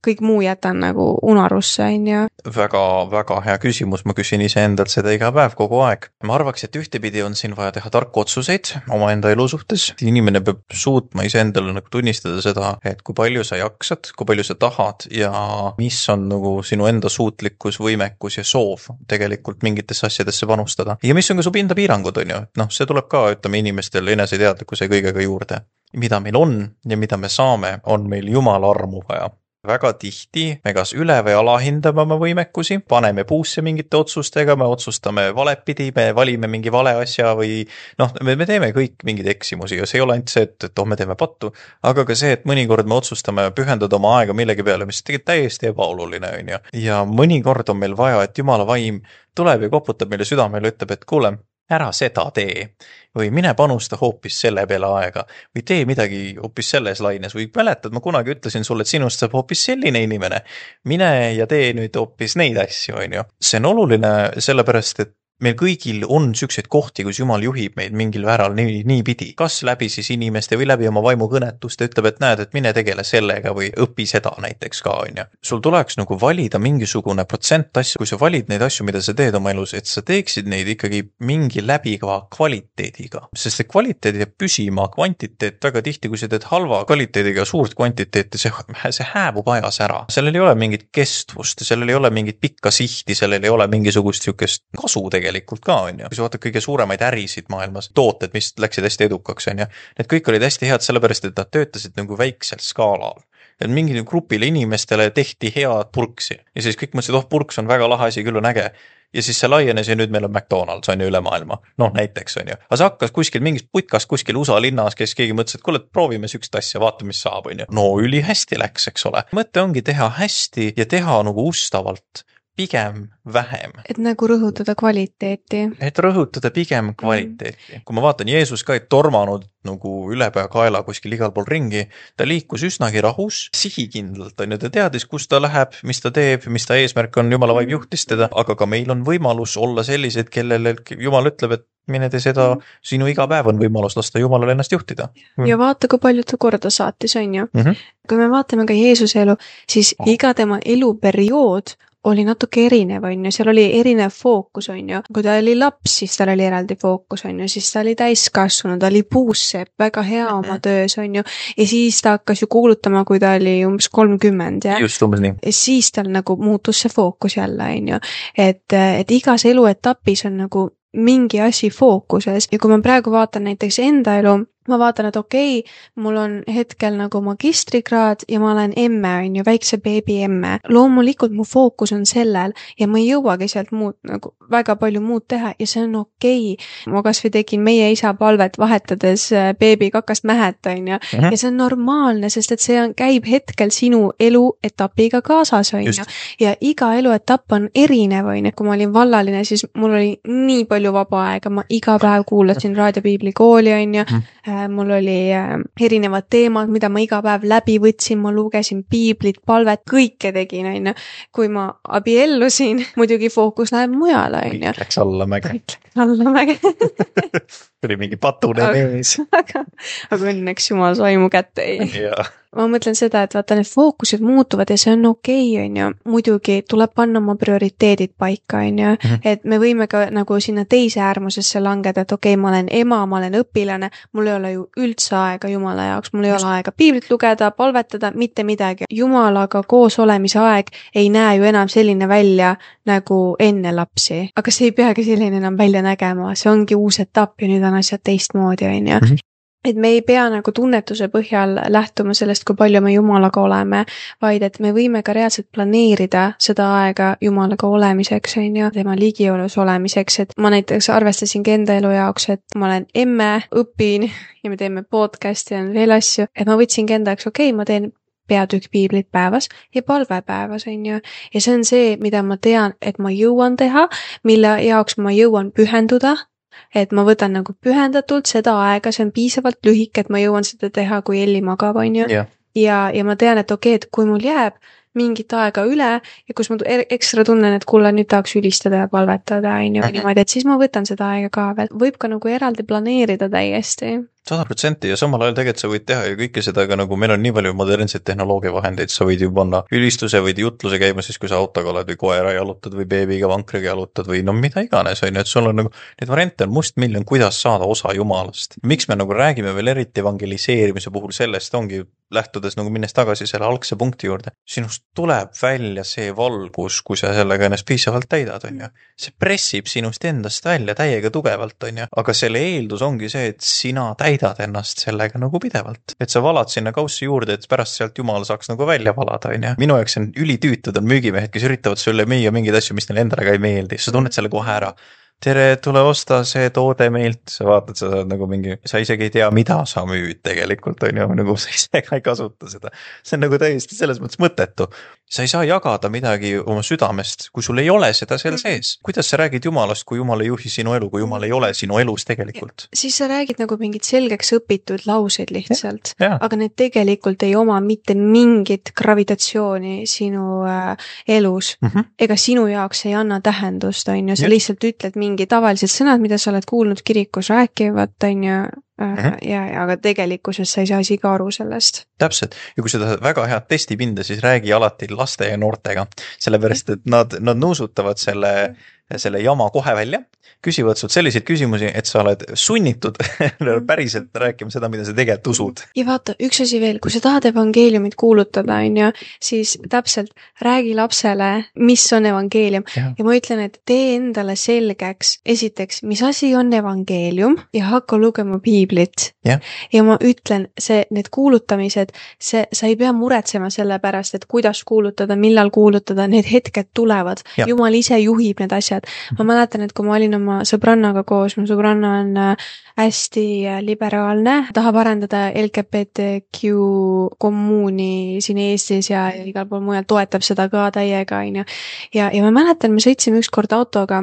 kõik muu jätan nagu unarusse, on ju. Väga hea küsimus, ma küsin iseendalt seda iga päev kogu aeg. Ma arvaks, et ühtepidi on siin vaja teha tarku otsuseid omaenda elu suhtes. Inimene peab suutma iseendale nagu tunnistada seda, et kui palju sa jaksad, kui palju sa tahad ja mis on nagu sinu enda suutlikkus, võimekus ja soov tegelikult mingitesse asjadesse panustada. Ja mis on ka su pinda piirangud, on ju. Noh, see tuleb ka, ütleme inimestel eneseteadlikkuse kõigega juurde. Mida meil on ja mida me saame, on meil Jumala armu vaja. väga tihti me kas üle või alahindame oma võimekusi, paneme puusse mingite otsustega, me otsustame valepidi, me valime mingi vale asja või noh, me teeme kõik mingeid eksimusi ja see ei ole ainult see, et me teeme pattu, aga ka see, et mõnikord me otsustame pühendada oma aega millegi peale, mis tegelikult täiesti ebaoluline on ju. Ja mõnikord on meil vaja, et Jumala vaim tuleb ja koputab meile südamele, ütleb, et kuule, ära seda tee või mine panusta hoopis selle peale aega või tee midagi hoopis selles laines või mäletad, ma kunagi ütlesin sulle, et sinust saab hoopis selline inimene, mine ja tee nüüd hoopis neid asju, on ju. See on oluline sellepärast, et meil kõigil on sükseid kohti, kus Jumal juhib meid mingil vääral nii pidi. Kas läbi siis inimeste või läbi oma vaimu kõnetust ütleb, et näed, et mine tegele sellega või õpi seda näiteks ka, on ju. Sul tuleks nagu valida mingisugune protsent asju, kui sa valid neid asju, mida sa teed oma elus, et sa teeksid neid ikkagi mingi läbiga kvaliteediga. Sest see kvaliteed jääb püsima, kvantiteet väga tihti, kui sa teed halva kvaliteediga suurt kvantiteeti, see hääbub ajas ära. Sellel ei ole mingit kestvust, sellel ei ole mingit pikka sihti, sellel ei ole mingisugust sihukest kasu tegelikult ka, on ju. Kui sa vaatad kõige suuremaid ärisid maailmas, tooted, mis läksid hästi edukaks, on ju. Need kõik olid hästi head sellepärast, et nad töötasid nagu väiksel skaalal. Et mingi grupile inimestele tehti head purksi. Ja siis kõik mõtlesid, purks on väga lahe asi, küll on äge. Ja siis see laienes ja nüüd meil on McDonald's, on ju, üle maailma. Noh, näiteks, on ju. Aga see hakkas kuskil mingis putkast kuskil USA linnas, kes keegi mõtles, et kuule, proovime sükst asja, vaata, mis saab, on ju. No, üli hästi läks, eks ole. Mõte ongi teha hästi ja teha nagu ustavalt. Pigem vähem. Et nagu rõhutada kvaliteeti. Et rõhutada pigem kvaliteeti. Kui ma vaatan, Jeesus ka ei tormanud nagu ülepea kaela kuskil igal pool ringi, ta liikus üsnagi rahus, sihikindlalt, on ju, ta teadis, kus ta läheb, mis ta teeb, mis ta eesmärk on, Jumala vaim juhtis teda, aga ka meil on võimalus olla sellised, kellele Jumal ütleb, et mine te seda, sinu iga päev on võimalus lasta Jumalale ennast juhtida. Ja vaata, kui palju ta korda saatis, on ju. Kui me vaatame ka Jeesuse elu, siis iga tema eluperiood oli natuke erinev, on ju, seal oli erinev fookus, on ju. Kui ta oli laps, siis tal oli eraldi fookus, on ju, siis ta oli täiskasvanud, ta oli puussepp, väga hea oma töös, on ju. Ja siis ta hakkas ju kuulutama, kui ta oli umbes 30, ja? Just umbes nii. Ja siis tal nagu muutus see fookus jälle, on ju. Et igas eluetapis on nagu mingi asi fookuses ja kui ma praegu vaatan näiteks enda elu, ma vaatan, et okei, mul on hetkel nagu magistrikraad ja ma olen emme, on ju, väikse beebi emme. Loomulikult mu fookus on sellel ja ma ei jõuagi sealt muud, nagu väga palju muud teha ja see on okei. Ma kas või tegin meie isa palvet vahetades beebi kakast mähet, on ju. Ja see on normaalne, sest et see käib hetkel sinu eluetapiga kaasas, on ju. Ja iga eluetapp on erinev, on ju. Kui ma olin vallaline, siis mul oli nii palju vaba aega, ma iga päev kuulasin raadiopiibli kooli, on ju. Mul oli erinevad teemad, mida ma iga päev läbi võtsin, ma lugesin piiblit, palvet, kõike tegin, on ju. Kui ma abiellusin, muidugi fookus läheb mujale, on ju. Läks allamäge. Allamäge. Tuli mingi patune mees. Aga õnneks Jumal sai mu kätte. Jaa. Ma mõtlen seda, et vaata, need fookused muutuvad ja see on okei, on ju. Muidugi tuleb panna oma prioriteedid paika, on ju. Et me võime ka nagu sinna teise äärmusesse langeda, et okei, ma olen ema, ma olen õpilane, mul ei ole ju üldse aega Jumala jaoks, mul ei ole aega piiblit lugeda, palvetada, mitte midagi. Jumalaga koos olemise aeg ei näe ju enam selline välja nagu enne lapsi. Aga see ei peagi selline enam välja nägema, see ongi uus etapp ja nüüd on asjad teistmoodi, on ju. Et me ei pea nagu tunnetuse põhjal lähtuma sellest, kui palju me Jumalaga oleme, vaid et me võime ka reaalselt planeerida seda aega Jumalaga olemiseks, on ju, tema ligiolus olemiseks, et ma näiteks arvestasingi enda elu jaoks, et ma olen emme, õpin ja me teeme podcasti ja veel asju, et ma võtsingi enda jaoks, okei, ma teen peatükk piiblit päevas ja palve päevas, on ju. Ja see on see, mida ma tean, et ma jõuan teha, mille jaoks ma jõuan pühenduda, et ma võtan nagu pühendatult seda aega, see on piisavalt lühike, et ma jõuan seda teha, kui Elli magab, on ju. Ja ma tean, et okei, et kui mul jääb mingit aega üle ja kus ma ekstra tunnen, et kuule, nüüd tahaks ülistada ja palvetada, on ju, niimoodi, et siis ma võtan seda aega ka veel. Võib ka nagu eraldi planeerida täiesti. 100% ja samal ajal tegelikult sa võid teha ju kõike seda, aga nagu meil on nii palju modernseid tehnoloogia vahendeid, sa võid ju panna ülistuse, võid jutluse käima siis, kui sa autoga oled või koera jalutad või beebiga vankriga jalutad või no mida iganes, on ju, et sul on nagu, need variante on mustmiljon, kuidas saada osa Jumalast. Miks me nagu räägime veel eriti evangeliseerimise puhul sellest, ongi lähtudes nagu minnes tagasi selle algse punkti juurde, sinust tuleb välja see valgus, kui sa sellega ennast piisavalt täidad, on ju. See pressib sinust endast välja täiega tugevalt, on ju, aga selle eeldus ongi see, et sina täidad täidad ennast sellega nagu pidevalt. Et sa valad sinna kaussi juurde, et pärast sealt Jumal saaks nagu välja valada, on ju. Minu jaoks on ülitüütud on müügimehed, kes üritavad sulle müüa mingeid asju, mis neile endale ka ei meeldi. Sa tunned selle kohe ära. Tere, tule osta see toode meilt, sa vaatad, sa saad nagu mingi, sa isegi ei tea, mida sa müüd tegelikult, on ju, nagu sa ise ka ei kasuta seda. See on nagu täiesti selles mõttes mõttetu. Sa ei saa jagada midagi oma südamest, kui sul ei ole seda seal sees. Kuidas sa räägid Jumalast, kui Jumal ei juhi sinu elu, kui Jumal ei ole sinu elus tegelikult? Siis sa räägid nagu mingid selgeks õpitud lauseid lihtsalt, ja. Aga need tegelikult ei oma mitte mingit gravitatsiooni sinu elus. Ega sinu jaoks ei anna tähendust, on ju, sa lihtsalt ütled mingi tavalised sõnad, mida sa oled kuulnud kirikus rääkivat, on ju, aga tegelikkuses sa ei saa isegi aru sellest. Täpselt, ja kui sa tahad väga head testipinda, siis räägi alati laste ja noortega, sellepärast, et nad nuusutavad selle jama kohe välja, küsivad sult selliseid küsimusi, et sa oled sunnitud päriselt rääkima seda, mida sa tegelikult usud. Ja vaata, üks asi veel, kui sa tahad evangeeliumit kuulutada, on ju, siis täpselt räägi lapsele, mis on evangeelium. Ja ma ütlen, et tee endale selgeks, esiteks, mis asi on evangeelium ja hakka lugema piiblit. Ja ma ütlen, need kuulutamised, sa ei pea muretsema selle pärast, et kuidas kuulutada, millal kuulutada, need hetked tulevad. Jumal ise juhib need asjad. Ma mäletan, et kui ma olin oma sõbrannaga koos, mu sõbranna on hästi liberaalne, tahab arendada LGBTQ kommuuni siin Eestis ja igal pool mujal toetab seda ka täiega, on ju. Ja ma mäletan, me sõitsime ükskord autoga,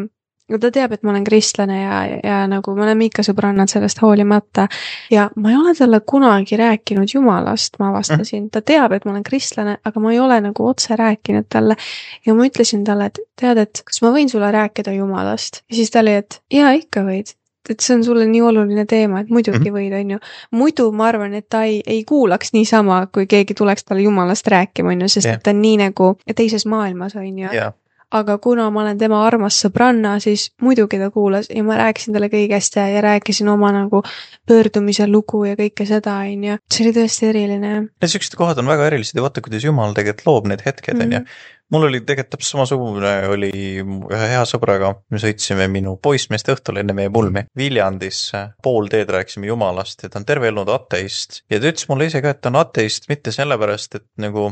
ta teab, et ma olen kristlane ja nagu me oleme ikka sõbrannad sellest hoolimata ja ma ei ole talle kunagi rääkinud Jumalast, ma avastasin. Ta teab, et ma olen kristlane, aga ma ei ole nagu otse rääkinud talle ja ma ütlesin talle, et tead, et kas ma võin sulle rääkida Jumalast? Ja siis ta oli, et jaa, ikka võid. Et see on sulle nii oluline teema, et muidugi võid, on ju. Muidu ma arvan, et ta ei kuulaks niisama, kui keegi tuleks talle Jumalast rääkima, on ju, sest et ta on nii nagu teises maailmas, on ju. Aga kuna ma olen tema armas sõbranna, siis muidugi ta kuulas ja ma rääkisin talle kõigest ja rääkisin oma nagu pöördumise lugu ja kõike seda, on ju. See oli tõesti eriline. Ja sellised kohad on väga erilised ja vaata, kuidas Jumal tegelikult loob need hetked, on ju. Mul oli tegelikult täpselt samasugune oli ühe hea sõbraga, me sõitsime minu poissmeeste õhtul enne meie pulmi Viljandis, pool teed rääkisime Jumalast ja ta on terve elnud ateist ja ta ütles mulle ise ka, et ta on ateist mitte sellepärast, et nagu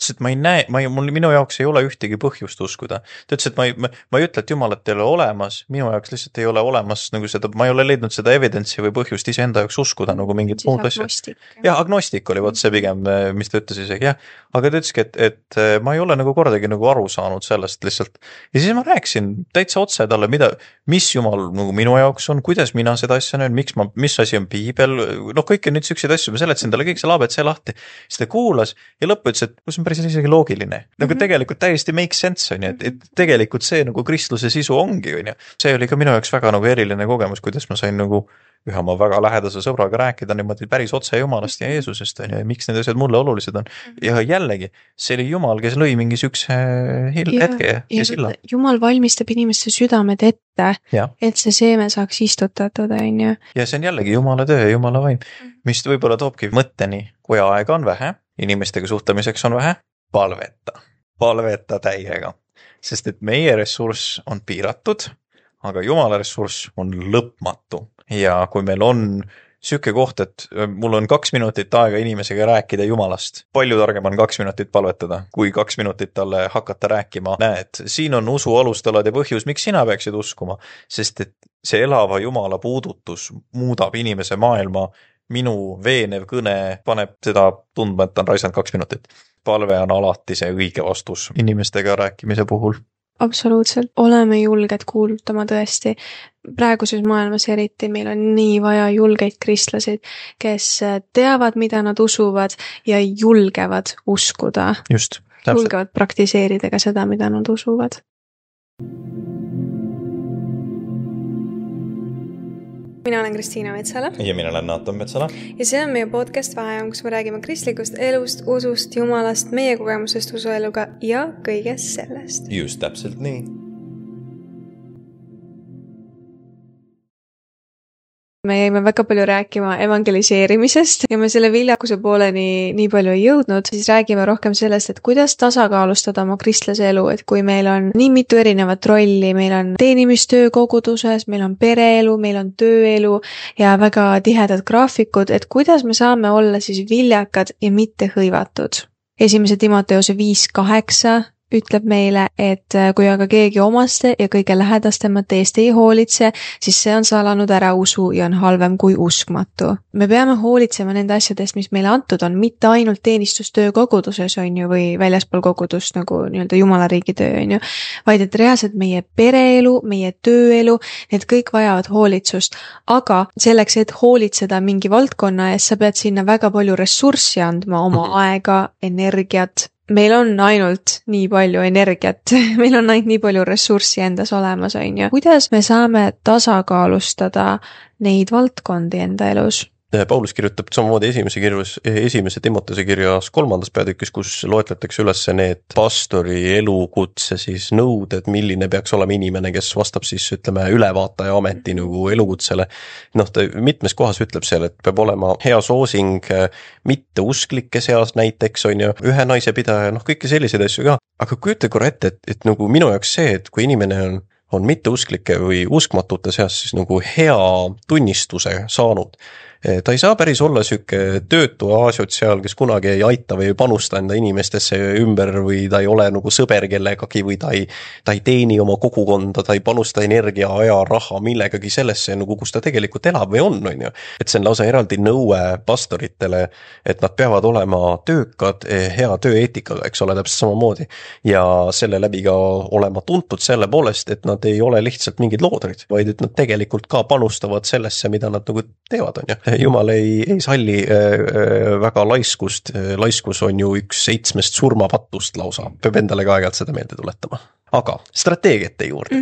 et ma ei näe, minu jaoks ei ole ühtegi põhjust uskuda. Ta ütles, et ma ei ütle, et Jumalat ei ole olemas, minu jaoks lihtsalt ei ole olemas nagu seda, ma ei ole leidnud seda evidentsi või põhjust ise enda jaoks uskuda nagu mingit muud asja. Ja agnostik oli see pigem, mis ta ütles isegi, jah. Aga ta ütleski, et ma ei ole nagu kordagi nagu aru saanud sellest lihtsalt. Ja siis ma rääkisin täitsa otse talle, mis Jumal nagu minu jaoks on, kuidas mina seda asja näen, mis asi on piibel, kõiki nüüd sükseid asju, ma seletasin talle kõik see labed see lahti. Siis ta kuulas ja lõppu ütles, et kus on päris isegi loogiline. Nagu tegelikult täiesti make sense on ju, et tegelikult see nagu kristluse sisu ongi, on ju. See oli ka minu jaoks väga nagu eriline kogemus, kuidas ma sain nagu ühe oma väga lähedase sõbraga rääkida niimoodi päris otse Jumalast ja Jeesusest, on ju, ja miks need asjad mulle olulised on. Ja jällegi, see oli Jumal, kes lõi mingi sükse hetke ja silla. Jumal valmistab inimeste südamed ette, et see seeme saaks istutatud, on ju. Ja see on jällegi Jumala töö ja Jumala vaim, mis võib-olla toobki mõtteni, kui aega on vähe, inimestega suhtlemiseks on vähe, palveta täiega, sest et meie ressurss on piiratud, aga Jumala ressurss on lõpmatu. Ja kui meil on süke koht, et mul on 2 minutit aega inimesega rääkida Jumalast, palju targem on 2 minutit palvetada, kui 2 minutit talle hakata rääkima. Näed, siin on usu alustalad ja põhjus, miks sina peaksid uskuma, sest et see elava Jumala puudutus muudab inimese maailma. Minu veenev kõne paneb seda tundma, et on raisanud 2 minutit. Palve on alati see õige vastus inimestega rääkimise puhul. Absoluutselt. Oleme julged kuulutama tõesti. Praeguses maailmas eriti meil on nii vaja julgeid kristlasid, kes teavad, mida nad usuvad ja julgevad uskuda. Just. Julgevad praktiseerida ka seda, mida nad usuvad. Mina olen Kristiina Metsala. Ja mina olen Naatan Metsala. Ja see on meie podcast Vaheajam, kus me räägime kristlikust elust, usust, Jumalast, meie kogemusest usueluga ja kõigest sellest. Just täpselt nii. me jäime väga palju rääkima evangeliseerimisest ja me selle viljakuse pooleni nii palju ei jõudnud, siis räägime rohkem sellest, et kuidas tasakaalustada oma kristlase elu, et kui meil on nii mitu erinevat rolli, meil on teenimistöö koguduses, meil on pereelu, meil on tööelu ja väga tihedad graafikud, et kuidas me saame olla siis viljakad ja mitte hõivatud. 1. Timoteuse 5:8 ütleb meile, et kui aga keegi omaste ja kõige lähedastemate eest ei hoolitse, siis see on salanud ära usu ja on halvem kui uskmatu. Me peame hoolitsema nende asjadest, mis meile antud on, mitte ainult teenistustöö koguduses on ju, või väljaspool kogudust nagu nii-öelda Jumala riigi töö on ju, vaid et reaalselt meie pereelu, meie tööelu, need kõik vajavad hoolitsust. Aga selleks, et hoolitseda mingi valdkonna eest, sa pead sinna väga palju ressurssi andma, oma aega, energiat. Meil on ainult nii palju energiat, meil on ainult nii palju ressurssi endas olemas, on ju. Kuidas me saame tasakaalustada neid valdkondi enda elus? Paulus kirjutab samamoodi esimese Timoteuse kirjas 3. peatükis, kus loetletakse üles need pastori elukutse siis nõuded, milline peaks olema inimene, kes vastab siis ütleme ülevaataja ameti nagu elukutsele. Ta mitmes kohas ütleb seal, et peab olema hea soosing mitte usklike seas näiteks on ju, ühe naise pidaja, kõiki selliseid asju ka. Aga kujuta korra ette, et nagu minu jaoks see, et kui inimene on mitte usklike või uskmatute seas siis nagu hea tunnistuse saanud, ta ei saa päris olla süke töötu asotsiaal, kes kunagi ei aita või ei panusta enda inimestesse ümber või ta ei ole nagu sõber kellegagi või ta ei teeni oma kogukonda, ta ei panusta energia, aja, raha millegagi sellesse, nagu kus ta tegelikult elab või on ju. Et see on lausa eraldi nõue pastoritele, et nad peavad olema töökad, hea tööeetikaga, eks ole, täpselt samamoodi. Ja selle läbi ka olema tuntud selle poolest, et nad ei ole lihtsalt mingid loodrid, vaid et nad tegelikult ka panustavad sellesse, mida nad nagu teevad, on ju. Jumal ei salli väga laiskust, laiskus on ju üks 7 surmapattust lausa, peab endale ka aeg-ajalt seda meelde tuletama. Aga strateegiate juurde.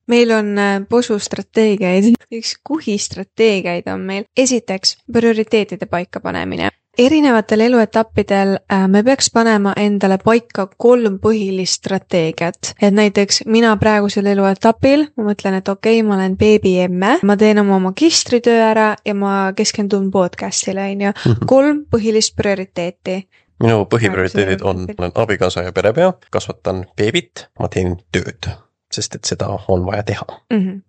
Meil on posustrateegiaid, üks kuhistrateegiaid on meil. Esiteks, prioriteetide paikapanemine. Erinevatel eluetappidel me peaks panema endale paika 3 põhilist strateegiat. Et näiteks mina praegusel eluetapil, ma mõtlen, et okei, ma olen beebiemme, ma teen oma magistritöö ära ja ma keskendun podcastile, on ju. 3 põhilist prioriteeti. Minu põhiprioriteedid on abikaasa ja perepea, kasvatan beebit, ma teen tööd. Sest et seda on vaja teha.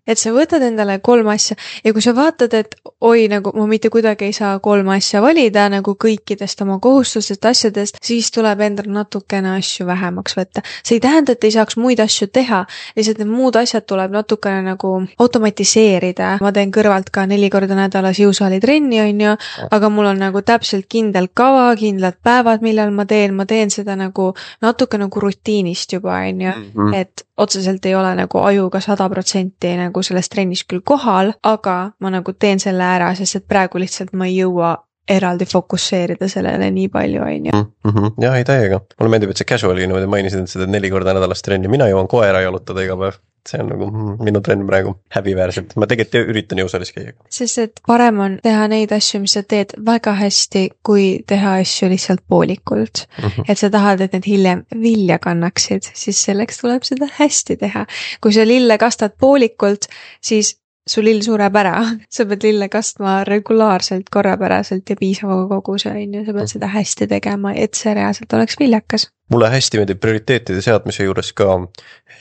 Et sa võtad endale 3 asja ja kui sa vaatad, et oi, nagu ma mitte kuidagi ei saa 3 asja valida nagu kõikidest oma kohustustest asjadest, siis tuleb endal natukene asju vähemaks võtta. See ei tähenda, et ei saaks muid asju teha, lihtsalt need muud asjad tuleb natukene nagu automatiseerida. Ma teen kõrvalt ka 4 korda nädalas jõusaali trenni, on ju, aga mul on nagu täpselt kindel kava, kindlad päevad, millal ma teen seda nagu natuke nagu rutiinist juba, on ju, et otseselt ei ole nagu ajuga 100% nagu selles trennis küll kohal, aga ma nagu teen selle ära, sest et praegu lihtsalt ma ei jõua eraldi fokusseerida sellele nii palju, on ju. Jah, ei täiega. Mulle meeldib, et see casual'i niimoodi mainisid, et seda 4 korda nädalast trenni. Mina jõuan koera jalutada iga päev. See on nagu minu trenn praegu häbiväärselt. Ma tegelikult üritan jõusaalis käia. Sest et parem on teha neid asju, mis sa teed väga hästi, kui teha asju lihtsalt poolikult. Et sa tahad, et need hiljem vilja kannaksid, siis selleks tuleb seda hästi teha. Kui sa lille kastad poolikult, siis su lill sureb ära. Sa pead lille kastma regulaarselt, korrapäraselt ja piisava koguse, on ju. Sa pead seda hästi tegema, et see reaalselt oleks viljakas. Mulle hästi meeldib prioriteetide seadmise juures ka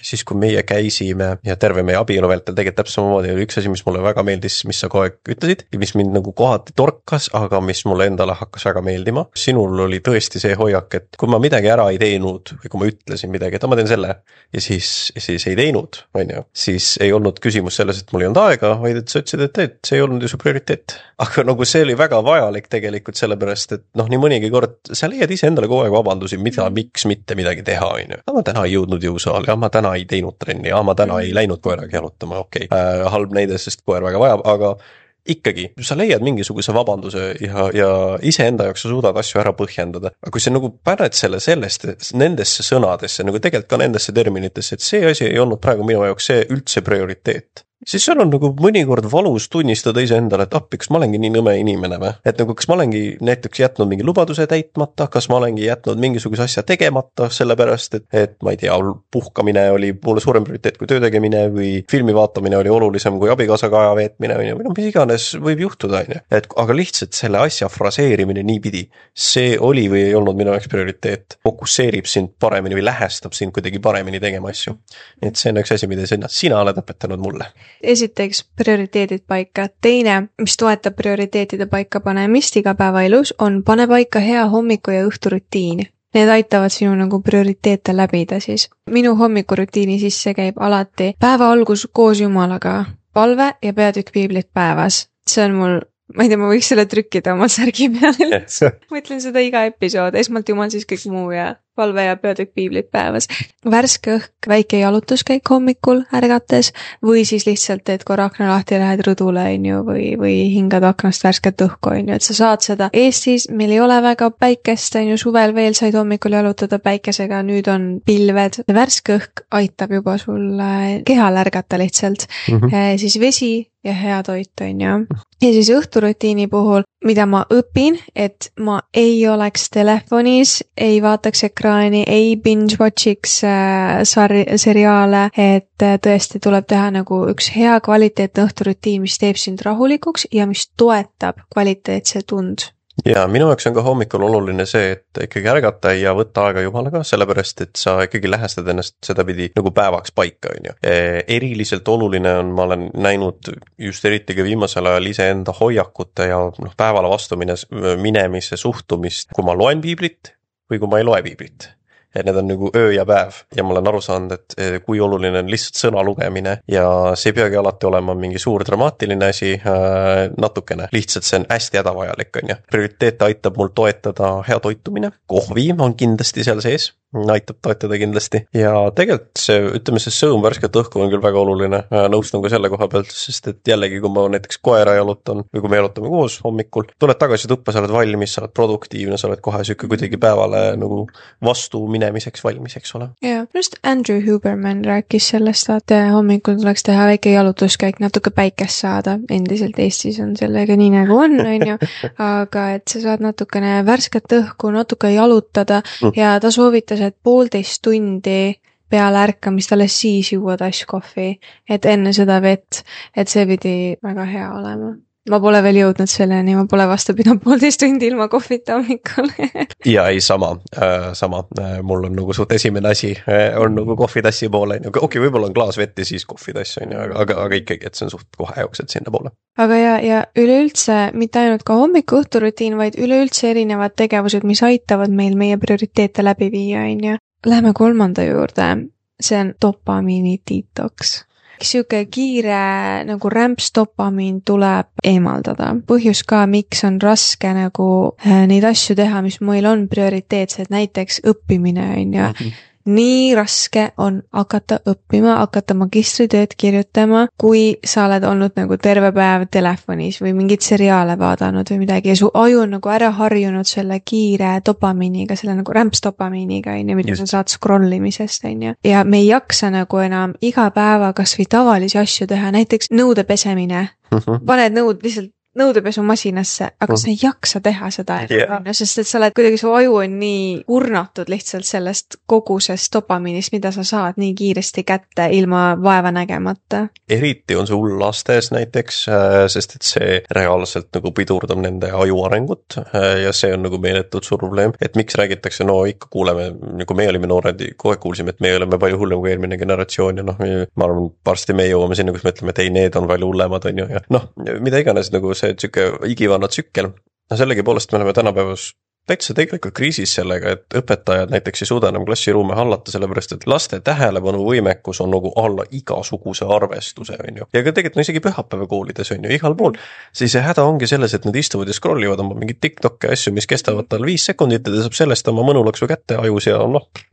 siis, kui meie käisime ja terve meie abielu vältel tegelikult täpselt samamoodi oli üks asi, mis mulle väga meeldis, mis sa kogu aeg ütlesid ja mis mind nagu kohati torkas, aga mis mulle endale hakkas väga meeldima. Sinul oli tõesti see hoiak, et kui ma midagi ära ei teinud või kui ma ütlesin midagi, et ma teen selle ja siis ei teinud, on ju, siis ei olnud küsimus selles, et mul ei olnud aega, vaid et sa ütlesid, et see ei olnud ju su prioriteet. Aga nagu see oli väga vajalik tegelikult sellepärast, et nii mõnigi kord sa leiad ise endale kogu aeg vabandusi, miks mitte midagi teha, on ju. Ma täna ei jõudnud jõusaali, ma täna ei teinud trenni, ma täna ei läinud koeraga jalutama, okei. Halb näide, sest koer väga vajab, aga ikkagi, sa leiad mingisuguse vabanduse ja iseenda jaoks sa suudad asju ära põhjendada. Aga kui sa nagu paned nendesse sõnadesse, nagu tegelikult ka nendesse terminitesse, et see asi ei olnud praegu minu jaoks see üldse prioriteet. siis seal on nagu mõnikord valus tunnistada iseendale, et appi, kas ma olengi nii nõme inimene või? Et nagu, kas ma olengi näiteks jätnud mingi lubaduse täitmata, kas ma olengi jätnud mingisuguse asja tegemata, sellepärast, et ma ei tea, puhkamine oli mulle suurem prioriteet kui töö tegemine või filmi vaatamine oli olulisem kui abikaasaga aja veetmine või no mis iganes võib juhtuda, on ju. Et aga lihtsalt selle asja fraseerimine niipidi, see oli või ei olnud minu jaoks prioriteet, fokusseerib sind paremini või lähestab sind kuidagi paremini tegema asju. Et see on üks asi, mida sina oled õpetanud mulle. Esiteks prioriteedid paika. Teine, mis toetab prioriteetide paika panemist igapäevaelus, on pane paika hea hommiku ja õhturutiin. Need aitavad sinu nagu prioriteete läbida siis. Minu hommikurutiini sisse käib alati päeva algus koos Jumalaga, palve ja peatükk piiblit päevas. See on mul, ma ei tea, ma võiks selle trükkida oma särgi peale. Ma ütlen seda iga episood, esmalt Jumal, siis kõik muu ja palve ja peatükk piiblit päevas. Värske õhk, väike jalutuskäik hommikul ärgates või siis lihtsalt teed korra akna lahti ja lähed rõdule, on ju, või hingad aknast värsket õhku, on ju, et sa saad seda. Eestis meil ei ole väga päikest, on ju, suvel veel said hommikul jalutada päikesega, nüüd on pilved. Värske õhk aitab juba sul kehal ärgata lihtsalt. Siis vesi ja hea toit, on ju. Ja siis õhturutiini puhul, mida ma õpin, et ma ei oleks telefonis, ei vaataks ekraani, ei binge-watchiks seriaale, et tõesti tuleb teha nagu üks hea kvaliteetne õhturutiin, mis teeb sind rahulikuks ja mis toetab kvaliteetse tund. Ja minu jaoks on ka hommikul oluline see, et ikkagi ärgata ja võtta aega Jumalaga, sellepärast et sa ikkagi lähestad ennast sedapidi nagu päevaks paika, on ju. Eriliselt oluline on, ma olen näinud just eriti ka viimasel ajal iseenda hoiakute ja päevale vastu minemise suhtumist, kui ma loen piiblit või kui ma ei loe piiblit. Et need on nagu öö ja päev ja ma olen aru saanud, et kui oluline on lihtsalt sõna lugemine ja see ei peagi alati olema mingi suur dramaatiline asi, natukene. Lihtsalt see on hästi hädavajalik, on ju. Prioriteete aitab mul toetada hea toitumine. Kohvi on kindlasti seal sees, aitab toetada kindlasti. Ja tegelikult see, ütleme, see sõõm värsket õhku on küll väga oluline. Nõustun ka selle koha pealt, sest et jällegi, kui ma näiteks koera jalutan või kui me jalutame koos hommikul, tuled tagasi tuppa, sa oled valmis, sa oled produktiivne, sa oled kohe süke kuidagi päevale nagu vastu minemiseks valmis, eks ole. Ja, just Andrew Huberman rääkis sellest, et hommikul tuleks teha väike jalutuskäik, natuke päikest saada. Endiselt Eestis on sellega nii nagu on ju, aga et sa saad natukene värsket õhku, natuke jalutada ja ta soovitas, et 1,5 tundi peale ärkamist alles siis juua tasskohvi, et enne seda vett, et see pidi väga hea olema. Ma pole veel jõudnud selleni, ma pole vastu pidanud 1,5 tundi ilma kohvita hommikul. Ja ei, sama. Mul on nagu suht esimene asi, on nagu kohvitassi poole. Okei, võib-olla on klaas vett ja siis kohvitass, aga ikkagi, et see on suht kohe jooksed sinna poole. Aga ja üleüldse, mitte ainult ka hommiku õhturutiin, vaid üleüldse erinevad tegevused, mis aitavad meil meie prioriteete läbi viia, on ju. Läheme 3. juurde, see on dopamiini detox. Siuke kiire nagu rämps dopamiin tuleb eemaldada. Põhjus ka, miks on raske nagu neid asju teha, mis meil on prioriteetsed, näiteks õppimine, on ju. Nii raske on hakata õppima, hakata magistritööd kirjutama, kui sa oled olnud nagu terve päev telefonis või mingit seriaale vaadanud või midagi ja su aju on nagu ära harjunud selle kiire dopamiiniga, selle nagu rämpsdopamiiniga, mida sa saad scrollimisest, on ju. Ja me ei jaksa nagu enam iga päeva kas või tavalisi asju teha, näiteks nõude pesemine. Paned nõud lihtsalt nõudepesumasinasse, aga sa ei jaksa teha seda, sest et sa oled kuidagi, su aju on nii kurnatud lihtsalt sellest kogusest dopamiinist, mida sa saad nii kiiresti kätte ilma vaeva nägemata. Eriti on see hull lastes näiteks, sest et see reaalselt nagu pidurdab nende aju arengut ja see on nagu meeletult suur probleem, et miks räägitakse, no ikka kuuleme, nagu me olime noored, kohe kuulsime, et me oleme palju hullem kui eelmine generatsioon ja ma arvan, varsti me jõuame sinna, kus me ütleme, et ei, need on palju hullemad, on ju, ja mida iganes nagu see igivana tsükkel. Sellegi poolest me oleme tänapäevas täitsa tegelikult kriisis sellega, et õpetajad näiteks ei suuda enam klassiruume hallata, sellepärast et laste tähelepanuvõimekus on nagu alla igasuguse arvestuse, on ju. Ja ka tegelikult isegi pühapäeva koolides on ju, igal pool. Siis häda ongi selles, et nad istuvad ja scrollivad oma mingid TikTok asju, mis kestavad tal 5 sekundit ja ta saab sellest oma mõnulaksu kätte ajus ja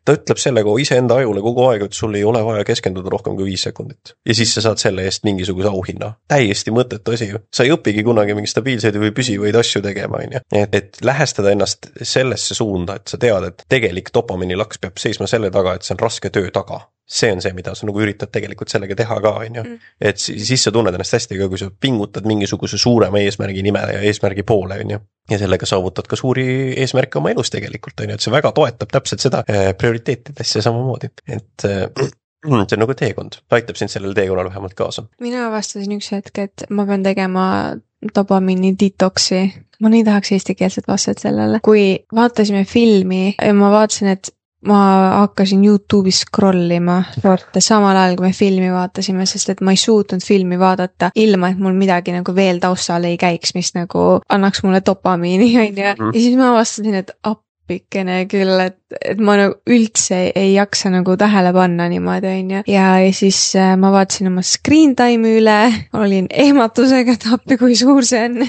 ta ütleb sellega iseenda ajule kogu aeg, et sul ei ole vaja keskenduda rohkem kui 5 sekundit. Ja siis sa saad selle eest mingisuguse auhinna. Täiesti mõttetu asi ju. Sa ei õpigi kunagi mingi stabiilseid või püsivaid asju tegema, on ju. Et lähestada ennast sellesse suunda, et sa tead, et tegelik dopamiini laks peab seisma selle taga, et see on raske töö taga. see on see, mida sa nagu üritad tegelikult sellega teha ka, on ju. Et siis sa tunned ennast hästi, kui sa pingutad mingisuguse suurema eesmärgi nimele ja eesmärgi poole, on ju. Ja sellega saavutad ka suuri eesmärke oma elus tegelikult, on ju, et see väga toetab täpselt seda prioriteetidesse samamoodi, et see on nagu teekond, aitab sind sellele teekonnal vähemalt kaasa. Mina avastasin üks hetk, et ma pean tegema dopamiini detoksi. Ma nii tahaks eestikeelset vastet sellele. Kui vaatasime filmi ja ma vaatasin, et ma hakkasin YouTube'is scrollima samal ajal, kui me filmi vaatasime, sest et ma ei suutnud filmi vaadata ilma, et mul midagi nagu veel taustal ei käiks, mis nagu annaks mulle dopamiini, on ju. Ja siis ma avastasin, et appikene küll, et ma nagu üldse ei jaksa nagu tähele panna niimoodi, on ju. Ja siis ma vaatasin oma screen time'i üle, olin ehmatusega, et appi, kui suur see on.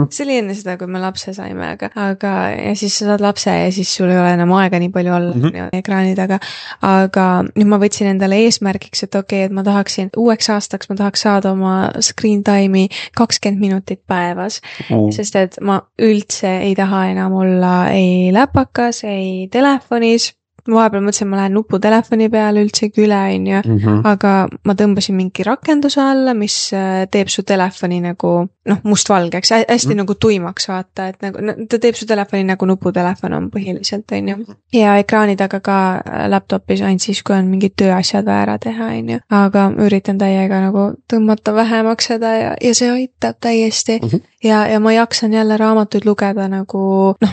See oli enne seda, kui me lapse saime, aga ja siis sa saad lapse ja siis sul ei ole enam aega nii palju olla ekraani taga. Aga nüüd ma võtsin endale eesmärgiks, et okei, et ma tahaksin uueks aastaks, ma tahaks saada oma screen time'i 20 minutit päevas, sest et ma üldse ei taha enam olla ei läpakas, ei telefonis. Ma vahepeal mõtlesin, ma lähen nuputelefoni peale üldsegi üle, on ju, aga ma tõmbasin mingi rakenduse alla, mis teeb su telefoni nagu, mustvalgeks, hästi nagu tuimaks vaata, et nagu, ta teeb su telefoni nagu nuputelefon on põhiliselt, on ju. Ja ekraani taga ka laptopis ainult siis, kui on mingid tööasjad vaja ära teha, on ju. Aga üritan täiega nagu tõmmata vähemaks seda ja see aitab täiesti. Ja ma jaksan jälle raamatuid lugeda nagu,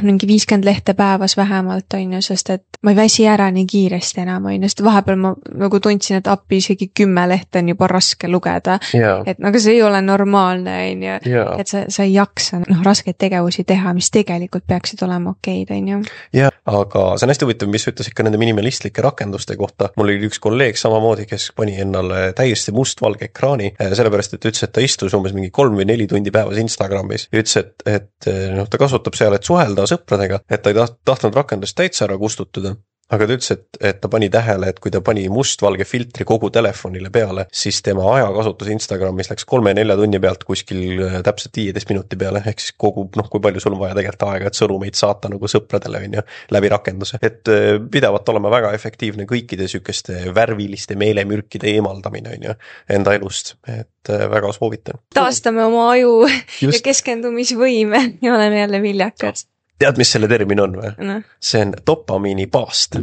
mingi 50 lehte päevas vähemalt, on ju, sest et ma ei väsi ära nii kiiresti enam, on ju, sest vahepeal ma nagu tundsin, et appi isegi 10 lehte on juba raske lugeda. Et aga see ei ole normaalne, on ju. Et sa ei jaksa raskeid tegevusi teha, mis tegelikult peaksid olema okeid, on ju. Ja, aga see on hästi huvitav, mis ütles ikka nende minimalistlike rakenduste kohta. Mul oli üks kolleeg samamoodi, kes pani ennale täiesti mustvalge ekraani, sellepärast, et ütles, et ta istus umbes mingi 3 või 4 tundi päevas Instagramis ja ütles, et ta kasutab seal, et suhelda sõpradega, et ta ei tahtnud rakendust täitsa ära kustutada. Aga ta ütles, et ta pani tähele, et kui ta pani mustvalge filtri kogu telefonile peale, siis tema ajakasutus Instagramis läks 3-4 tunni pealt kuskil täpselt 15 minuti peale, ehk siis kogu, kui palju sul on vaja tegelikult aega, et sõnumeid saata nagu sõpradele, on ju, läbi rakenduse. Et pidavalt olema väga efektiivne kõikide sükeste värviliste meelemürkide eemaldamine, on ju, enda elust, et väga soovitan. Taastame oma aju ja keskendumisvõime ja oleme jälle viljakad. Tead, mis selle termin on või? No. See on dopamiini paast.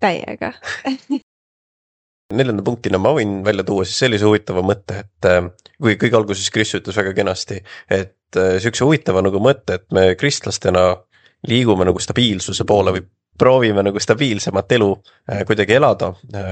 Täiega. 4. punktina ma võin välja tuua siis sellise huvitava mõtte, et kui kõige alguses Kris ütles väga kenasti, et sükse huvitava nagu mõtte, et me kristlastena liigume nagu stabiilsuse poole või proovime nagu stabiilsemat elu kuidagi elada,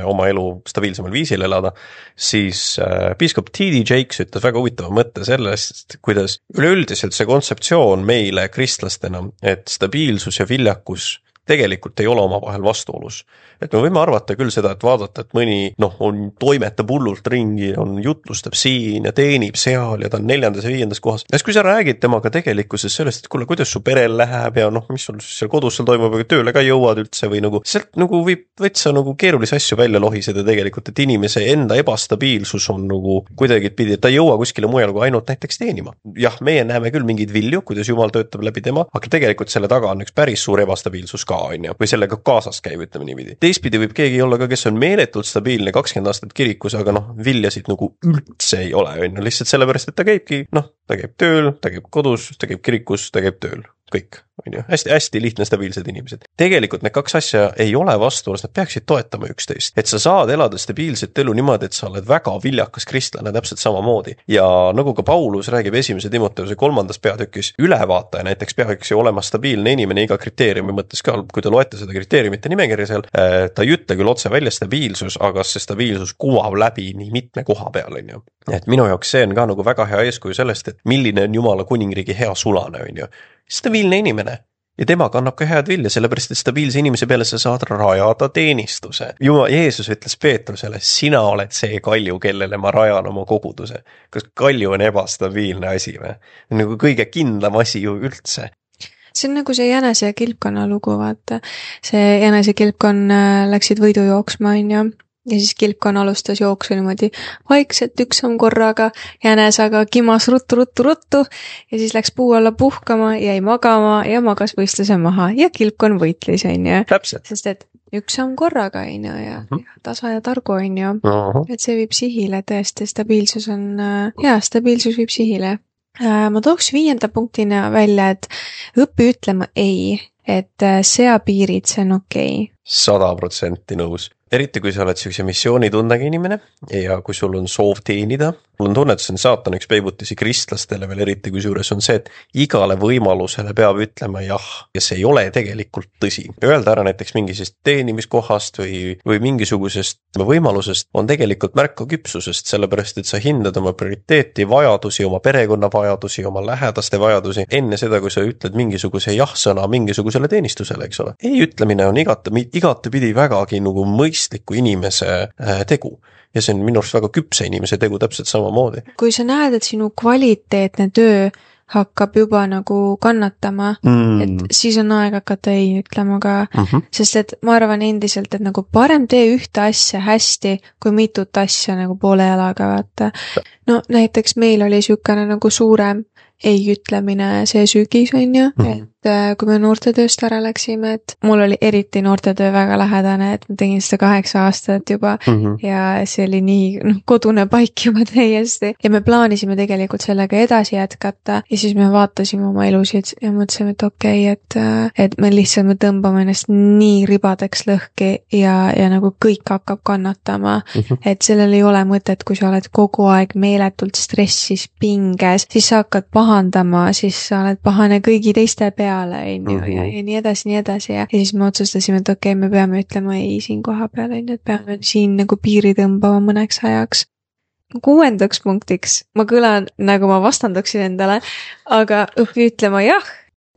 oma elu stabiilsemal viisil elada, siis piiskop T.D. Jakes ütles väga huvitava mõtte sellest, kuidas üleüldiselt see kontseptsioon meile kristlastena, et stabiilsus ja viljakus tegelikult ei ole omavahel vastuolus. Et me võime arvata küll seda, et vaadata, et mõni on toimetab hullult ringi, on jutlustab siin ja teenib seal ja ta on 4. ja 5. kohas. Ja kui sa räägid temaga tegelikkuses sellest, et kuule, kuidas su perel läheb ja mis sul seal kodus seal toimub, aga tööle ka jõuad üldse või nagu, sealt nagu võib võtsa nagu keerulisi asju välja lohiseda tegelikult, et inimese enda ebastabiilsus on nagu kuidagi pidi, et ta ei jõua kuskile mujal kui ainult näiteks teenima. Jah, meie näeme küll mingeid vilju, kuidas Jumal töötab läbi tema, aga tegelikult selle taga on üks päris suur ebastabiilsus ka, on ju, või sellega kaasas käib, ütleme niipidi. Teistpidi võib keegi olla ka, kes on meeletult stabiilne 20 aastat kirikus, aga viljasid nagu üldse ei ole, on ju, lihtsalt sellepärast, et ta käibki, ta käib tööl, ta käib kodus, ta käib kirikus, ta käib tööl. Kõik, on ju, hästi lihtne stabiilsed inimesed. Tegelikult need 2 asja ei ole vastuolus, nad peaksid toetama üksteist. Et sa saad elada stabiilset elu niimoodi, et sa oled väga viljakas kristlane täpselt samamoodi. Ja nagu ka Paulus räägib 1. Timoteuse 3. peatükis, ülevaataja näiteks peaks ju olema stabiilne inimene iga kriteeriumi mõttes ka, kui te loete seda kriteeriumite nimekirja seal, ta ei ütle küll otse välja stabiilsus, aga see stabiilsus kuvab läbi nii mitme koha peal, on ju. Et minu jaoks see on ka nagu väga hea eeskuju sellest, et milline on Jumala kuningriigi hea sulane, on ju. Stabiilne inimene ja tema kannab ka head vilja, sellepärast et stabiilse inimese peale sa saad rajada teenistuse. Jeesus ütles Peetrusele, sina oled see kalju, kellele ma rajan oma koguduse. Kas kalju on ebastabiilne asi või? Nagu kõige kindlam asi ju üldse. See on nagu see jänese ja kilpkonna lugu, vaata. See jänese kilpkonn läksid võidu jooksma, on ju. Ja siis kilpkonn alustas jooksu niimoodi vaikselt üks samm korraga, jänes aga kimas ruttu ja siis läks puu alla puhkama, jäi magama ja magas võistluse maha ja kilpkonn võitlis, on ju. Täpselt. Sest et üks samm korraga, on ju, ja tasa ja targu, on ju. Et see viib sihile tõesti, stabiilsus on, stabiilsus viib sihile. Ma tooks 5. punktina välja, et õpi ütlema ei, et sea piirid, see on okei. 100% nõus. Eriti kui sa oled sellise missioonitundega inimene ja kui sul on soov teenida, mul on tunne, et see on saatan üks peibutisi kristlastele veel eriti, kui suures on see, et igale võimalusele peab ütlema jah, ja see ei ole tegelikult tõsi. Öelda ära näiteks mingisest teenimiskohast või mingisugusest võimalusest on tegelikult märka küpsusest, sellepärast et sa hindad oma prioriteeti, vajadusi, oma perekonna vajadusi, oma lähedaste vajadusi enne seda, kui sa ütled mingisuguse jah-sõna mingisugusele teenistusele, eks ole. Ei ütlemine on igatepidi vägagi nagu mõistliku inimese tegu. Ja see on minu arust väga küpse inimese tegu täpselt samamoodi. Kui sa näed, et sinu kvaliteetne töö hakkab juba nagu kannatama, et siis on aeg hakata ei ütlema ka, sest et ma arvan endiselt, et nagu parem tee ühte asja hästi, kui mitut asja nagu poole jalaga vaata. No näiteks meil oli niisugune nagu suurem ei ütlemine see sügis, on ju, et kui me noortetööst ära läksime, et mul oli eriti noortetöö väga lähedane, et ma tegin seda 8 aastat juba ja see oli nii kodune paik juba täiesti ja me plaanisime tegelikult sellega edasi jätkata ja siis me vaatasime oma elusid ja mõtlesime, et okei, et me lihtsalt me tõmbame ennast nii ribadeks lõhki ja nagu kõik hakkab kannatama, et sellel ei ole mõtet, kui sa oled kogu aeg meeletult stressis, pinges, siis sa hakkad pahandama, siis sa oled pahane kõigi teiste peale, ja nii edasi ja siis me otsustasime, et okei, me peame ütlema ei siin koha peal, et peame siin nagu piiri tõmbama mõneks ajaks. 6. punktiks, ma kõlan nagu ma vastanduksin endale, aga õpi ütlema jah.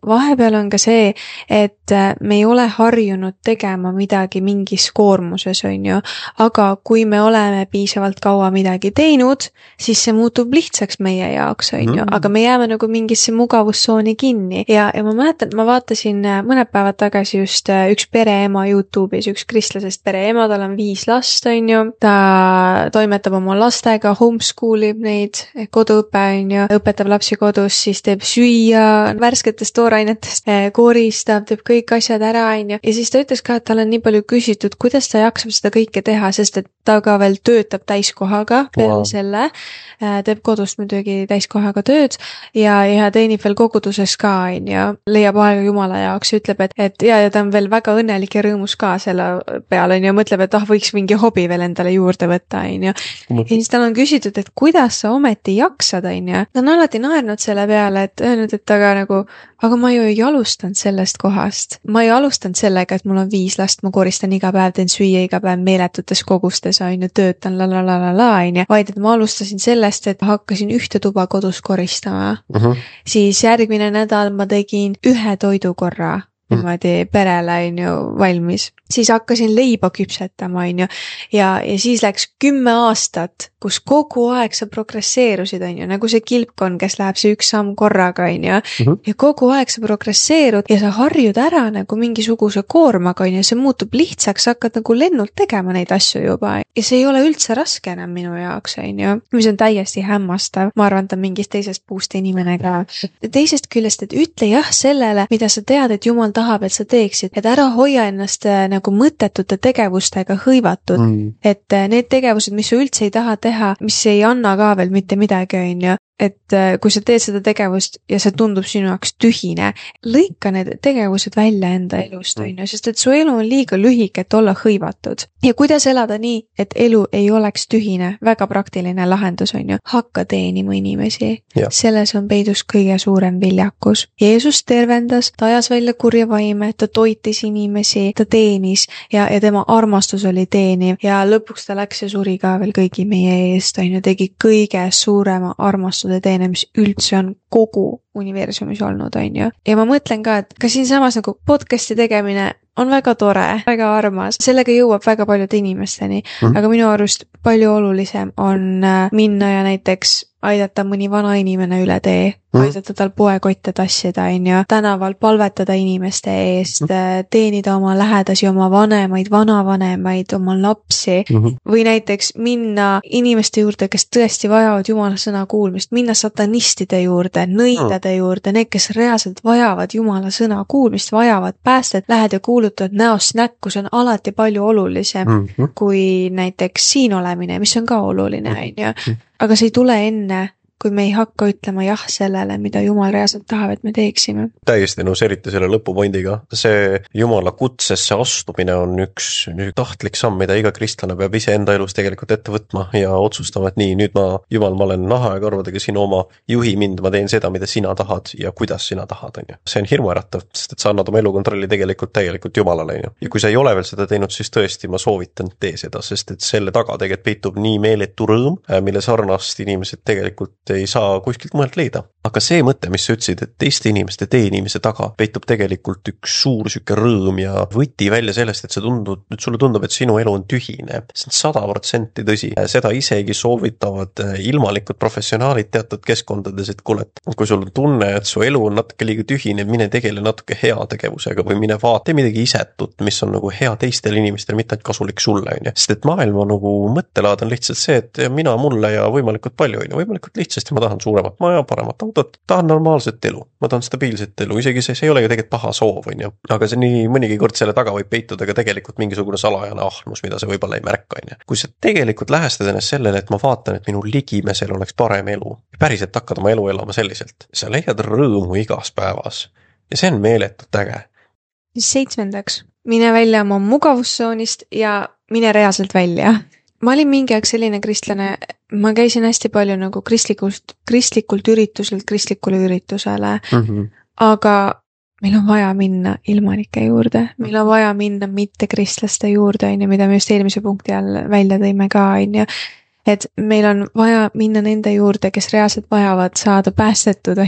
Vahepeal on ka see, et me ei ole harjunud tegema midagi mingis koormuses, on ju, aga kui me oleme piisavalt kaua midagi teinud, siis see muutub lihtsaks meie jaoks, on ju, aga me jääme nagu mingisse mugavustsooni kinni ja ma mäletan, ma vaatasin mõned päevad tagasi just üks pereema YouTube'is, üks kristlasest pereema, tal on 5 last, on ju, ta toimetab oma lastega, homeschoolib neid, koduõpe, on ju, õpetab lapsi kodus, siis teeb süüa, värsketest toorainetest, koristab, teeb kõik asjad ära, on ju. Ja siis ta ütles ka, et tal on nii palju küsitud, kuidas ta jaksab seda kõike teha, sest et ta ka veel töötab täiskohaga peale selle, teeb kodust muidugi täiskohaga tööd ja teenib veel koguduses ka, on ju, leiab aega Jumala jaoks, ütleb, et ja ta on veel väga õnnelik ja rõõmus ka selle peale, on ju, mõtleb, et võiks mingi hobi veel endale juurde võtta, on ju. Ja siis tal on küsitud, et kuidas sa ometi jaksad, on ju. Ta on alati naernud selle peale, et öelnud, et aga ma ju ei alustanud sellest kohast. Ma ei alustanud sellega, et mul on 5 last, ma koristan iga päev, teen süüa iga päev meeletutes kogustes, on ju, töötan on ju, vaid et ma alustasin sellest, et hakkasin ühte tuba kodus koristama. Siis järgmine nädal ma tegin 1 toidukorra niimoodi perele, on ju, valmis. Siis hakkasin leiba küpsetama, on ju, ja siis läks 10 aastat, kus kogu aeg sa progresseerusid, on ju, nagu see kilpkon, kes läheb see 1 samm korraga, on ju, ja kogu aeg sa progresseerud ja sa harjud ära nagu mingisuguse koormaga, on ju, see muutub lihtsaks, sa hakkad nagu lennult tegema neid asju juba ja see ei ole üldse raske enam minu jaoks, on ju, mis on täiesti hämmastav. Ma arvan, ta on mingist teisest puust inimene ka. Teisest küljest, et ütle jah sellele, mida sa tead, et Jumal tahab, et sa teeksid, et ära hoia ennast nagu mõttetute tegevustega hõivatud, et need tegevused, mis sa üldse ei taha teha, mis ei anna ka veel mitte midagi, on ju, et kui sa teed seda tegevust ja see tundub sinu jaoks tühine, lõika need tegevused välja enda elust, on ju, sest et su elu on liiga lühike, et olla hõivatud. Ja kuidas elada nii, et elu ei oleks tühine, väga praktiline lahendus, on ju, hakka teenima inimesi. Selles on peidus kõige suurem viljakus. Jeesus tervendas, ta ajas välja kurja vaime, ta toitis inimesi, ta teenis ja tema armastus oli teeniv ja lõpuks ta läks ja suri ka veel kõigi meie eest, on ju, tegi kõige suurema armastuse teene, mis üldse on kogu universumis olnud, on ju. Ja ma mõtlen ka, et ka siinsamas nagu podcasti tegemine on väga tore, väga armas, sellega jõuab väga paljude inimesteni, aga minu arust palju olulisem on minna ja näiteks aidata mõni vana inimene üle tee, aidata tal poekotte tassida, tänaval palvetada inimeste eest, teenida oma lähedasi, oma vanemaid, vanavanemaid, oma lapsi või näiteks minna inimeste juurde, kes tõesti vajavad Jumala sõna kuulmist, minna satanistide juurde, nõidade juurde, need, kes reaalselt vajavad Jumala sõna kuulmist, vajavad päästet, lähed ja kuulutad näost näkku, see on alati palju olulisem kui näiteks siin olemine, mis on ka oluline, aga see ei tule enne, kui me ei hakka ütlema jah sellele, mida Jumal reaalselt tahab, et me teeksime. Täiesti nõus, eriti selle lõpupoindiga. See Jumala kutsesse astumine on üks tahtlik samm, mida iga kristlane peab ise enda elus tegelikult ette võtma ja otsustama, et nii, nüüd Jumal, ma olen naha ja karvadega sinu oma, juhi mind, ma teen seda, mida sina tahad ja kuidas sina tahad. See on hirmuäratav, sest et sa annad oma elukontrolli tegelikult täielikult Jumalale. Ja kui sa ei ole veel seda teinud, siis tõesti ma soovitan tee seda, sest et selle taga tegelikult peitub nii meeletu rõõm, mille sarnast inimesed tegelikult ei saa kuskilt mujalt leida. Aga see mõte, mis sa ütlesid, et teiste inimeste teenimise taga peitub tegelikult üks suur süke rõõm ja võti välja sellest, et sulle tundub, et sinu elu on tühine. See on 100% tõsi. Seda isegi soovitavad ilmalikud professionaalid teatud keskkondades, et kuule, kui sul on tunne, et su elu on natuke liiga tühine, mine tegele natuke heategevusega või mine vaata midagi isetut, mis on nagu hea teistele inimestele, mitte ainult kasulik sulle. Sest et maailma nagu mõttelaad on lihtsalt see, et mina mulle ja võimalikult palju, võimalikult lihtsasti ma tahan suuremat maja, paremat autot, tahan normaalset elu, ma tahan stabiilset elu, isegi see ei ole ju tegelikult paha soov, aga see nii mõnigi kord selle taga võib peituda ka tegelikult mingisugune salajane ahnus, mida sa võib-olla ei märka. Kui sa tegelikult lähestad ennast sellele, et ma vaatan, et minu ligimesel oleks parem elu ja päriselt hakkad oma elu elama selliselt, sa leiad rõõmu igas päevas ja see on meeletult äge. 7. Mine välja oma mugavustsoonist ja mine reaalselt välja. Ma olin mingi aeg selline kristlane, ma käisin hästi palju nagu kristlikult ürituselt kristlikule üritusele, aga meil on vaja minna ilmanike juurde, meil on vaja minna mitte kristlaste juurde, mida me just eelmise punkti all välja tõime ka, et meil on vaja minna nende juurde, kes reaalselt vajavad saada päästetud,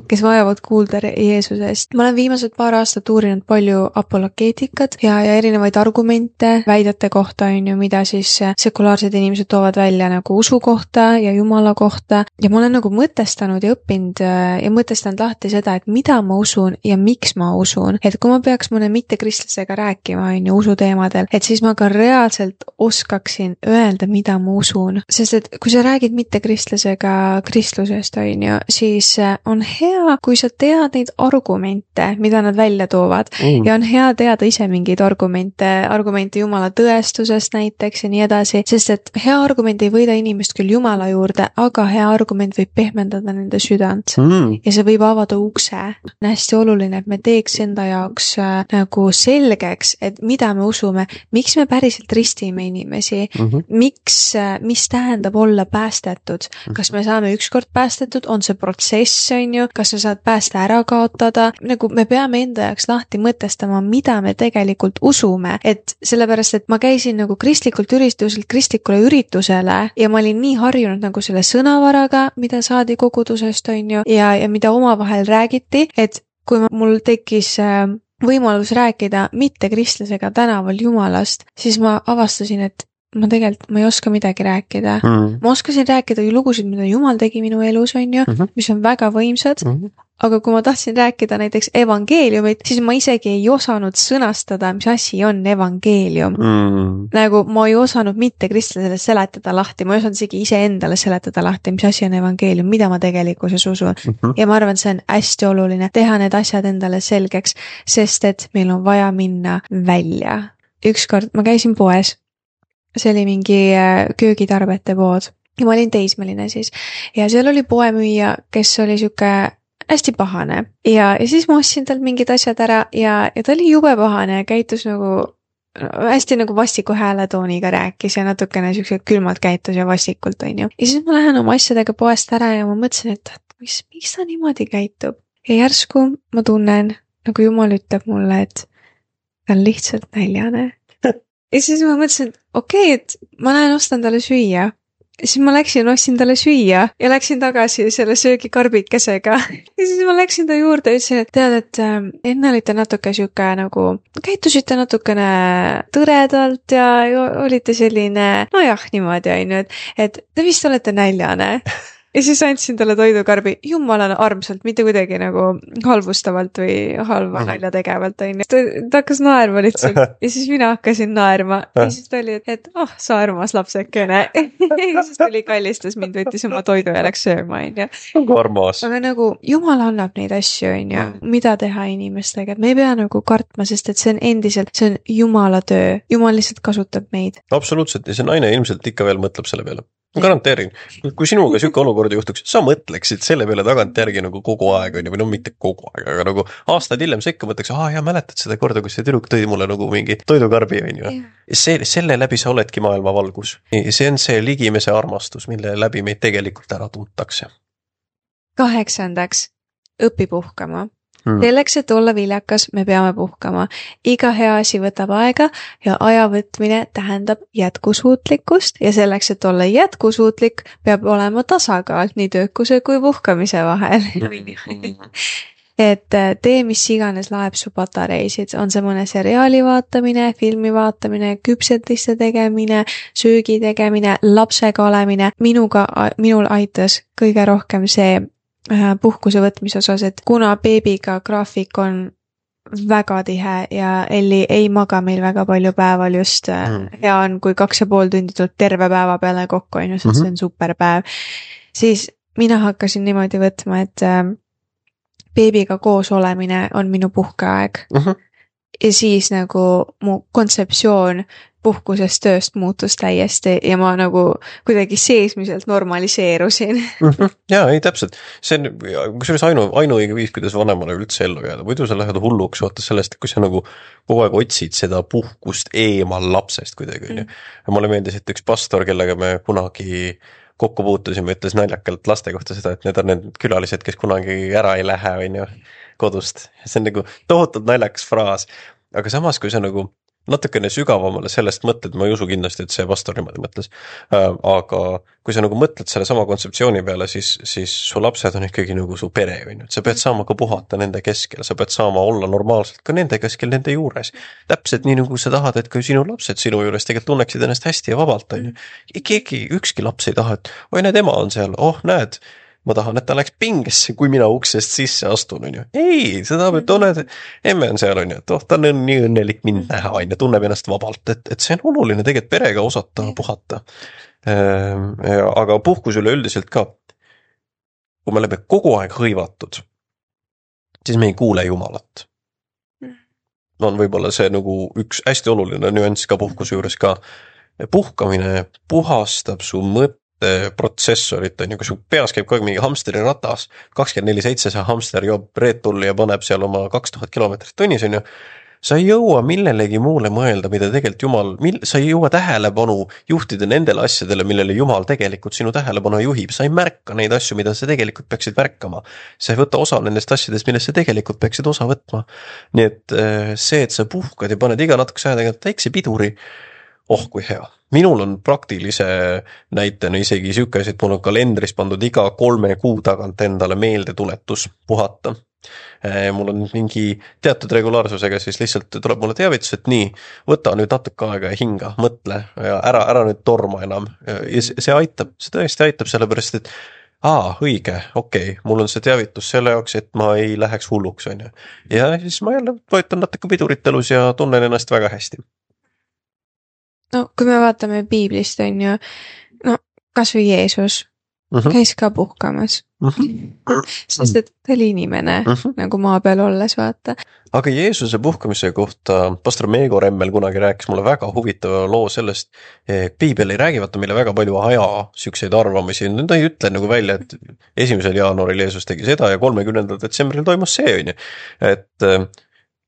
kes vajavad kuulda Jeesusest. Ma olen viimased paar aastat uurinud palju apologeetikat ja erinevaid argumente väidete kohta, mida siis sekulaarsed inimesed toovad välja nagu usu kohta ja Jumala kohta. Ja ma olen nagu mõtestanud ja õppinud ja mõtestanud lahti seda, et mida ma usun ja miks ma usun. Et kui ma peaks mõne mittekristlasega rääkima usu teemadel, et siis ma ka reaalselt oskaksin öelda, mida ma usun. Sest et kui sa räägid mittekristlasega kristlusest, siis on hea, kui sa tead neid argumente, mida nad välja toovad ja on hea teada ise mingeid argumente Jumala tõestusest näiteks ja nii edasi, sest et hea argument ei võida inimest küll Jumala juurde, aga hea argument võib pehmendada nende südant ja see võib avada ukse. On hästi oluline, et me teeks enda jaoks nagu selgeks, et mida me usume, miks me päriselt ristime inimesi, mis tähendab olla päästetud. Kas me saame ükskord päästetud, on see protsess, kas sa saad pääste ära kaotada, nagu me peame enda jaoks lahti mõtestama, mida me tegelikult usume, et sellepärast, et ma käisin nagu kristlikule üritusele ja ma olin nii harjunud nagu selle sõnavaraga, mida saadi kogudusest, ja mida omavahel räägiti, et kui mul tekkis võimalus rääkida mittekristlasega tänaval Jumalast, siis ma avastasin, et ma ei oska midagi rääkida. Ma oskasin rääkida ju lugusid, mida Jumal tegi minu elus, mis on väga võimsad, aga kui ma tahtsin rääkida näiteks evangeeliumit, siis ma isegi ei osanud sõnastada, mis asi on evangeelium. Nagu ma ei osanud mitte kristlasele seletada lahti, ma ei osanud isegi iseendale seletada lahti, mis asi on evangeelium, mida ma tegelikkuses usun. Ja ma arvan, see on hästi oluline teha need asjad endale selgeks, sest et meil on vaja minna välja. Ükskord ma käisin poes. See oli mingi köögitarbete pood ja ma olin teismeline siis ja seal oli poemüüja, kes oli siuke hästi pahane ja siis ma ostsin talt mingid asjad ära ja ta oli jube pahane ja käitus nagu hästi nagu vastiku hääletooniga rääkis ja natukene siukse külmalt käitus ja vastikult, Ja siis ma lähen oma asjadega poest ära ja ma mõtlesin, et miks ta niimoodi käitub ja järsku ma tunnen, nagu Jumal ütleb mulle, et ta on lihtsalt näljane. Ja siis ma mõtlesin, et okei, et ma lähen ostan talle süüa. Ja siis ma ostsin talle süüa ja läksin tagasi selle söögikarbikesega. Ja siis ma läksin ta juurde ja ütlesin, et tead, et enne olite natuke siuke nagu, käitusite natukene tõredalt ja olite selline, nojah, niimoodi, et te vist olete näljane. ja siis andsin talle toidukarbi jumalale armsalt, mitte kuidagi nagu halvustavalt või halva nalja tegevalt, onju. Ta hakkas naerma lihtsalt ja siis mina hakkasin naerma ja siis ta oli, et sa armas lapsekene. Ja siis tuli kallistas mind, võttis oma toidu ja läks sööma, onju. Armas. Aga nagu jumal annab neid asju, onju, mida teha inimestega, et me ei pea nagu kartma, sest et see on endiselt, see on jumala töö, jumal lihtsalt kasutab meid. Absoluutselt ja see naine ilmselt ikka veel mõtleb selle peale. Ma garanteerin, kui sinuga siuke olukord juhtuks, sa mõtleksid selle peale tagantjärgi nagu kogu aeg, või no mitte kogu aeg, aga nagu aastaid hiljem sa ikka mõtleks, ja mäletad seda korda, kus see tüdruk tõi mulle nagu mingi toidukarbi, on ju. Selle läbi sa oledki maailma valgus. See on see ligimese armastus, mille läbi meid tegelikult ära tuntakse. 8. õpi puhkama. Selleks, et olla viljakas, me peame puhkama. Iga hea asi võtab aega ja aja võtmine tähendab jätkusuutlikkust ja selleks, et olla jätkusuutlik, peab olema tasakaal nii töökuse kui puhkamise vahel. Et tee, mis iganes laeb su patareisid, on see mõne seriaali vaatamine, filmi vaatamine, küpsetiste tegemine, söögi tegemine, lapsega olemine. Minul aitas kõige rohkem see puhkuse võtmise osas, et kuna beebiga graafik on väga tihe ja Elli ei maga meil väga palju päeval just hea on, kui 2,5 tundi tuleb terve päeva peale kokku, on ju, sest see on superpäev, siis mina hakkasin niimoodi võtma, et beebiga koos olemine on minu puhkeaeg. Ja siis nagu mu kontseptsioon puhkusest tööst muutus täiesti ja ma nagu kuidagi seesmiselt normaliseerusin. Jaa, ei täpselt. See on kusjuures ainuõige viis, kuidas vanemale üldse ellu jääda. Võidu sa lähed hulluks vaata sellest, kui sa nagu kogu aeg otsid seda puhkust eemal lapsest kuidagi. Mulle meeldis, et üks pastor, kellega me kunagi kokku puutusime, ütles naljakalt laste kohta seda, et need on need külalised, kes kunagi ära ei lähe, on ju, kodust. See on nagu tohutult naljakas fraas. Aga samas, kui sa nagu natukene sügavamale sellest mõtled, ma ei usu kindlasti, et see pastor niimoodi mõtles, aga kui sa nagu mõtled selle sama kontseptsiooni peale, siis su lapsed on ikkagi nagu su pere, on ju. Sa pead saama ka puhata nende keskel, sa pead saama olla normaalselt ka nende keskel, nende juures. Täpselt nii nagu sa tahad, et kui sinu lapsed sinu juures tegelikult tunneksid ennast hästi ja vabalt, on ju. Ükski laps ei taha, et oi, näed, ema on seal, näed, ma tahan, et ta läks pingesse, kui mina uksest sisse astun, on ju. Ei, seda peab tunned, emme on seal, on ju, et ta on nii õnnelik mind näha, on ju, tunneb ennast vabalt, et see on oluline tegelikult perega osata puhata. Aga puhkus üleüldiselt ka, kui me oleme kogu aeg hõivatud, siis me ei kuule Jumalat. On võib-olla see nagu üks hästi oluline nüanss ka puhkuse juures ka. Puhkamine puhastab su protsessorit, on ju, kui su peas käib kogu aeg mingi hamsteri ratas, 24/7 see hamster joob Red Bulli ja paneb seal oma 2000 kilomeetrit tunnis, on ju, sa ei jõua millelegi muule mõelda, mida tegelikult Jumal, sa ei jõua tähelepanu juhtida nendele asjadele, millele Jumal tegelikult sinu tähelepanu juhib, sa ei märka neid asju, mida sa tegelikult peaksid märkama, sa ei võta osa nendest asjadest, millest sa tegelikult peaksid osa võtma, nii et see, et sa puhkad ja paned iga natukese aja tegelikult väikse piduri, kui hea. Minul on praktilise näitena isegi siuke asi, et mul on kalendris pandud iga 3 kuu tagant endale meeldetuletus puhata. Mul on mingi teatud regulaarsusega, siis lihtsalt tuleb mulle teavitus, et nii, võta nüüd natuke aega ja hinga, mõtle ja ära nüüd torma enam. Ja see aitab, see tõesti aitab sellepärast, et õige, okei, mul on see teavitus selle jaoks, et ma ei läheks hulluks, on ju. Ja siis ma jälle vajutan natuke pidurit elus ja tunnen ennast väga hästi. No, kui me vaatame piiblist, on ju, kas või Jeesus käis ka puhkamas. Sest et ta oli inimene, nagu maa peal olles, vaata. Aga Jeesuse puhkamise kohta pastor Meego Remmel kunagi rääkis mulle väga huvitava loo sellest, piibel ei räägi vaata meile väga palju sükseid arvamusi, ta ei ütle nagu välja, et 1. jaanuaril Jeesus tegi seda ja 30. detsembril toimus see, on ju, et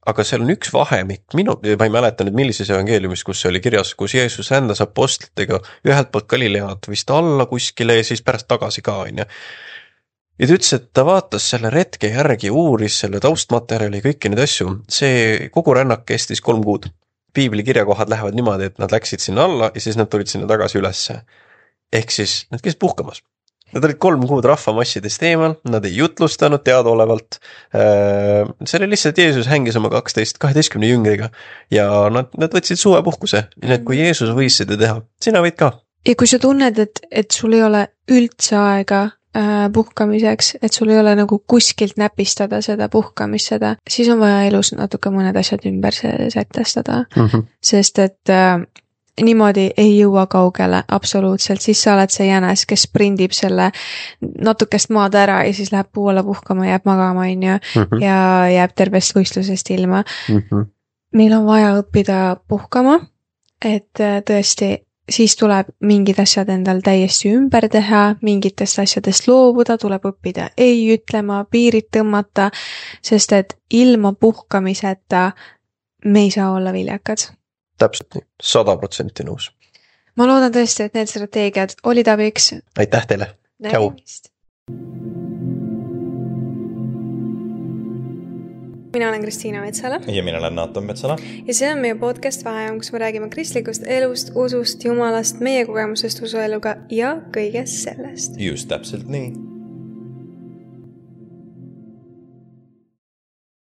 aga seal on üks vahemik, ma ei mäleta nüüd millises evangeeliumis, kus see oli kirjas, kus Jeesus rändas apostlitega ühelt poolt Galilead vist alla kuskile ja siis pärast tagasi ka, on ju. Ja ta ütles, et ta vaatas selle retke järgi, uuris selle taustmaterjali, kõiki neid asju, see kogu rännak kestis 3 kuud. Piibli kirjakohad lähevad niimoodi, et nad läksid sinna alla ja siis nad tulid sinna tagasi ülesse. Ehk siis nad käisid puhkamas. Nad olid 3 kuud rahvamassidest eemal, nad ei jutlustanud teadaolevalt. See oli lihtsalt Jeesus hängis oma 12 jüngriga ja nad võtsid suvepuhkuse. Nii et kui Jeesus võis seda teha, sina võid ka. Ja kui sa tunned, et sul ei ole üldse aega puhkamiseks, et sul ei ole nagu kuskilt näpistada seda puhkamist, siis on vaja elus natuke mõned asjad ümber sätestada, sest et niimoodi ei jõua kaugele absoluutselt, siis sa oled see jänes, kes sprindib selle natukest maad ära ja siis läheb puu alla puhkama, jääb magama, ja jääb tervest võistlusest ilma. Meil on vaja õppida puhkama, et tõesti siis tuleb mingid asjad endal täiesti ümber teha, mingitest asjadest loobuda, tuleb õppida ei ütlema, piirid tõmmata, sest et ilma puhkamiseta me ei saa olla viljakad. Täpselt nii, 100% nõus. Ma loodan tõesti, et need strateegiad olid abiks. Aitäh teile, tšau! Mina olen Kristiina Metsala. Ja mina olen Naatan Metsala. Ja see on meie podcast Vaheajam, kus me räägime kristlikust elust, usust, jumalast, meie kogemusest usueluga ja kõigest sellest. Just täpselt nii.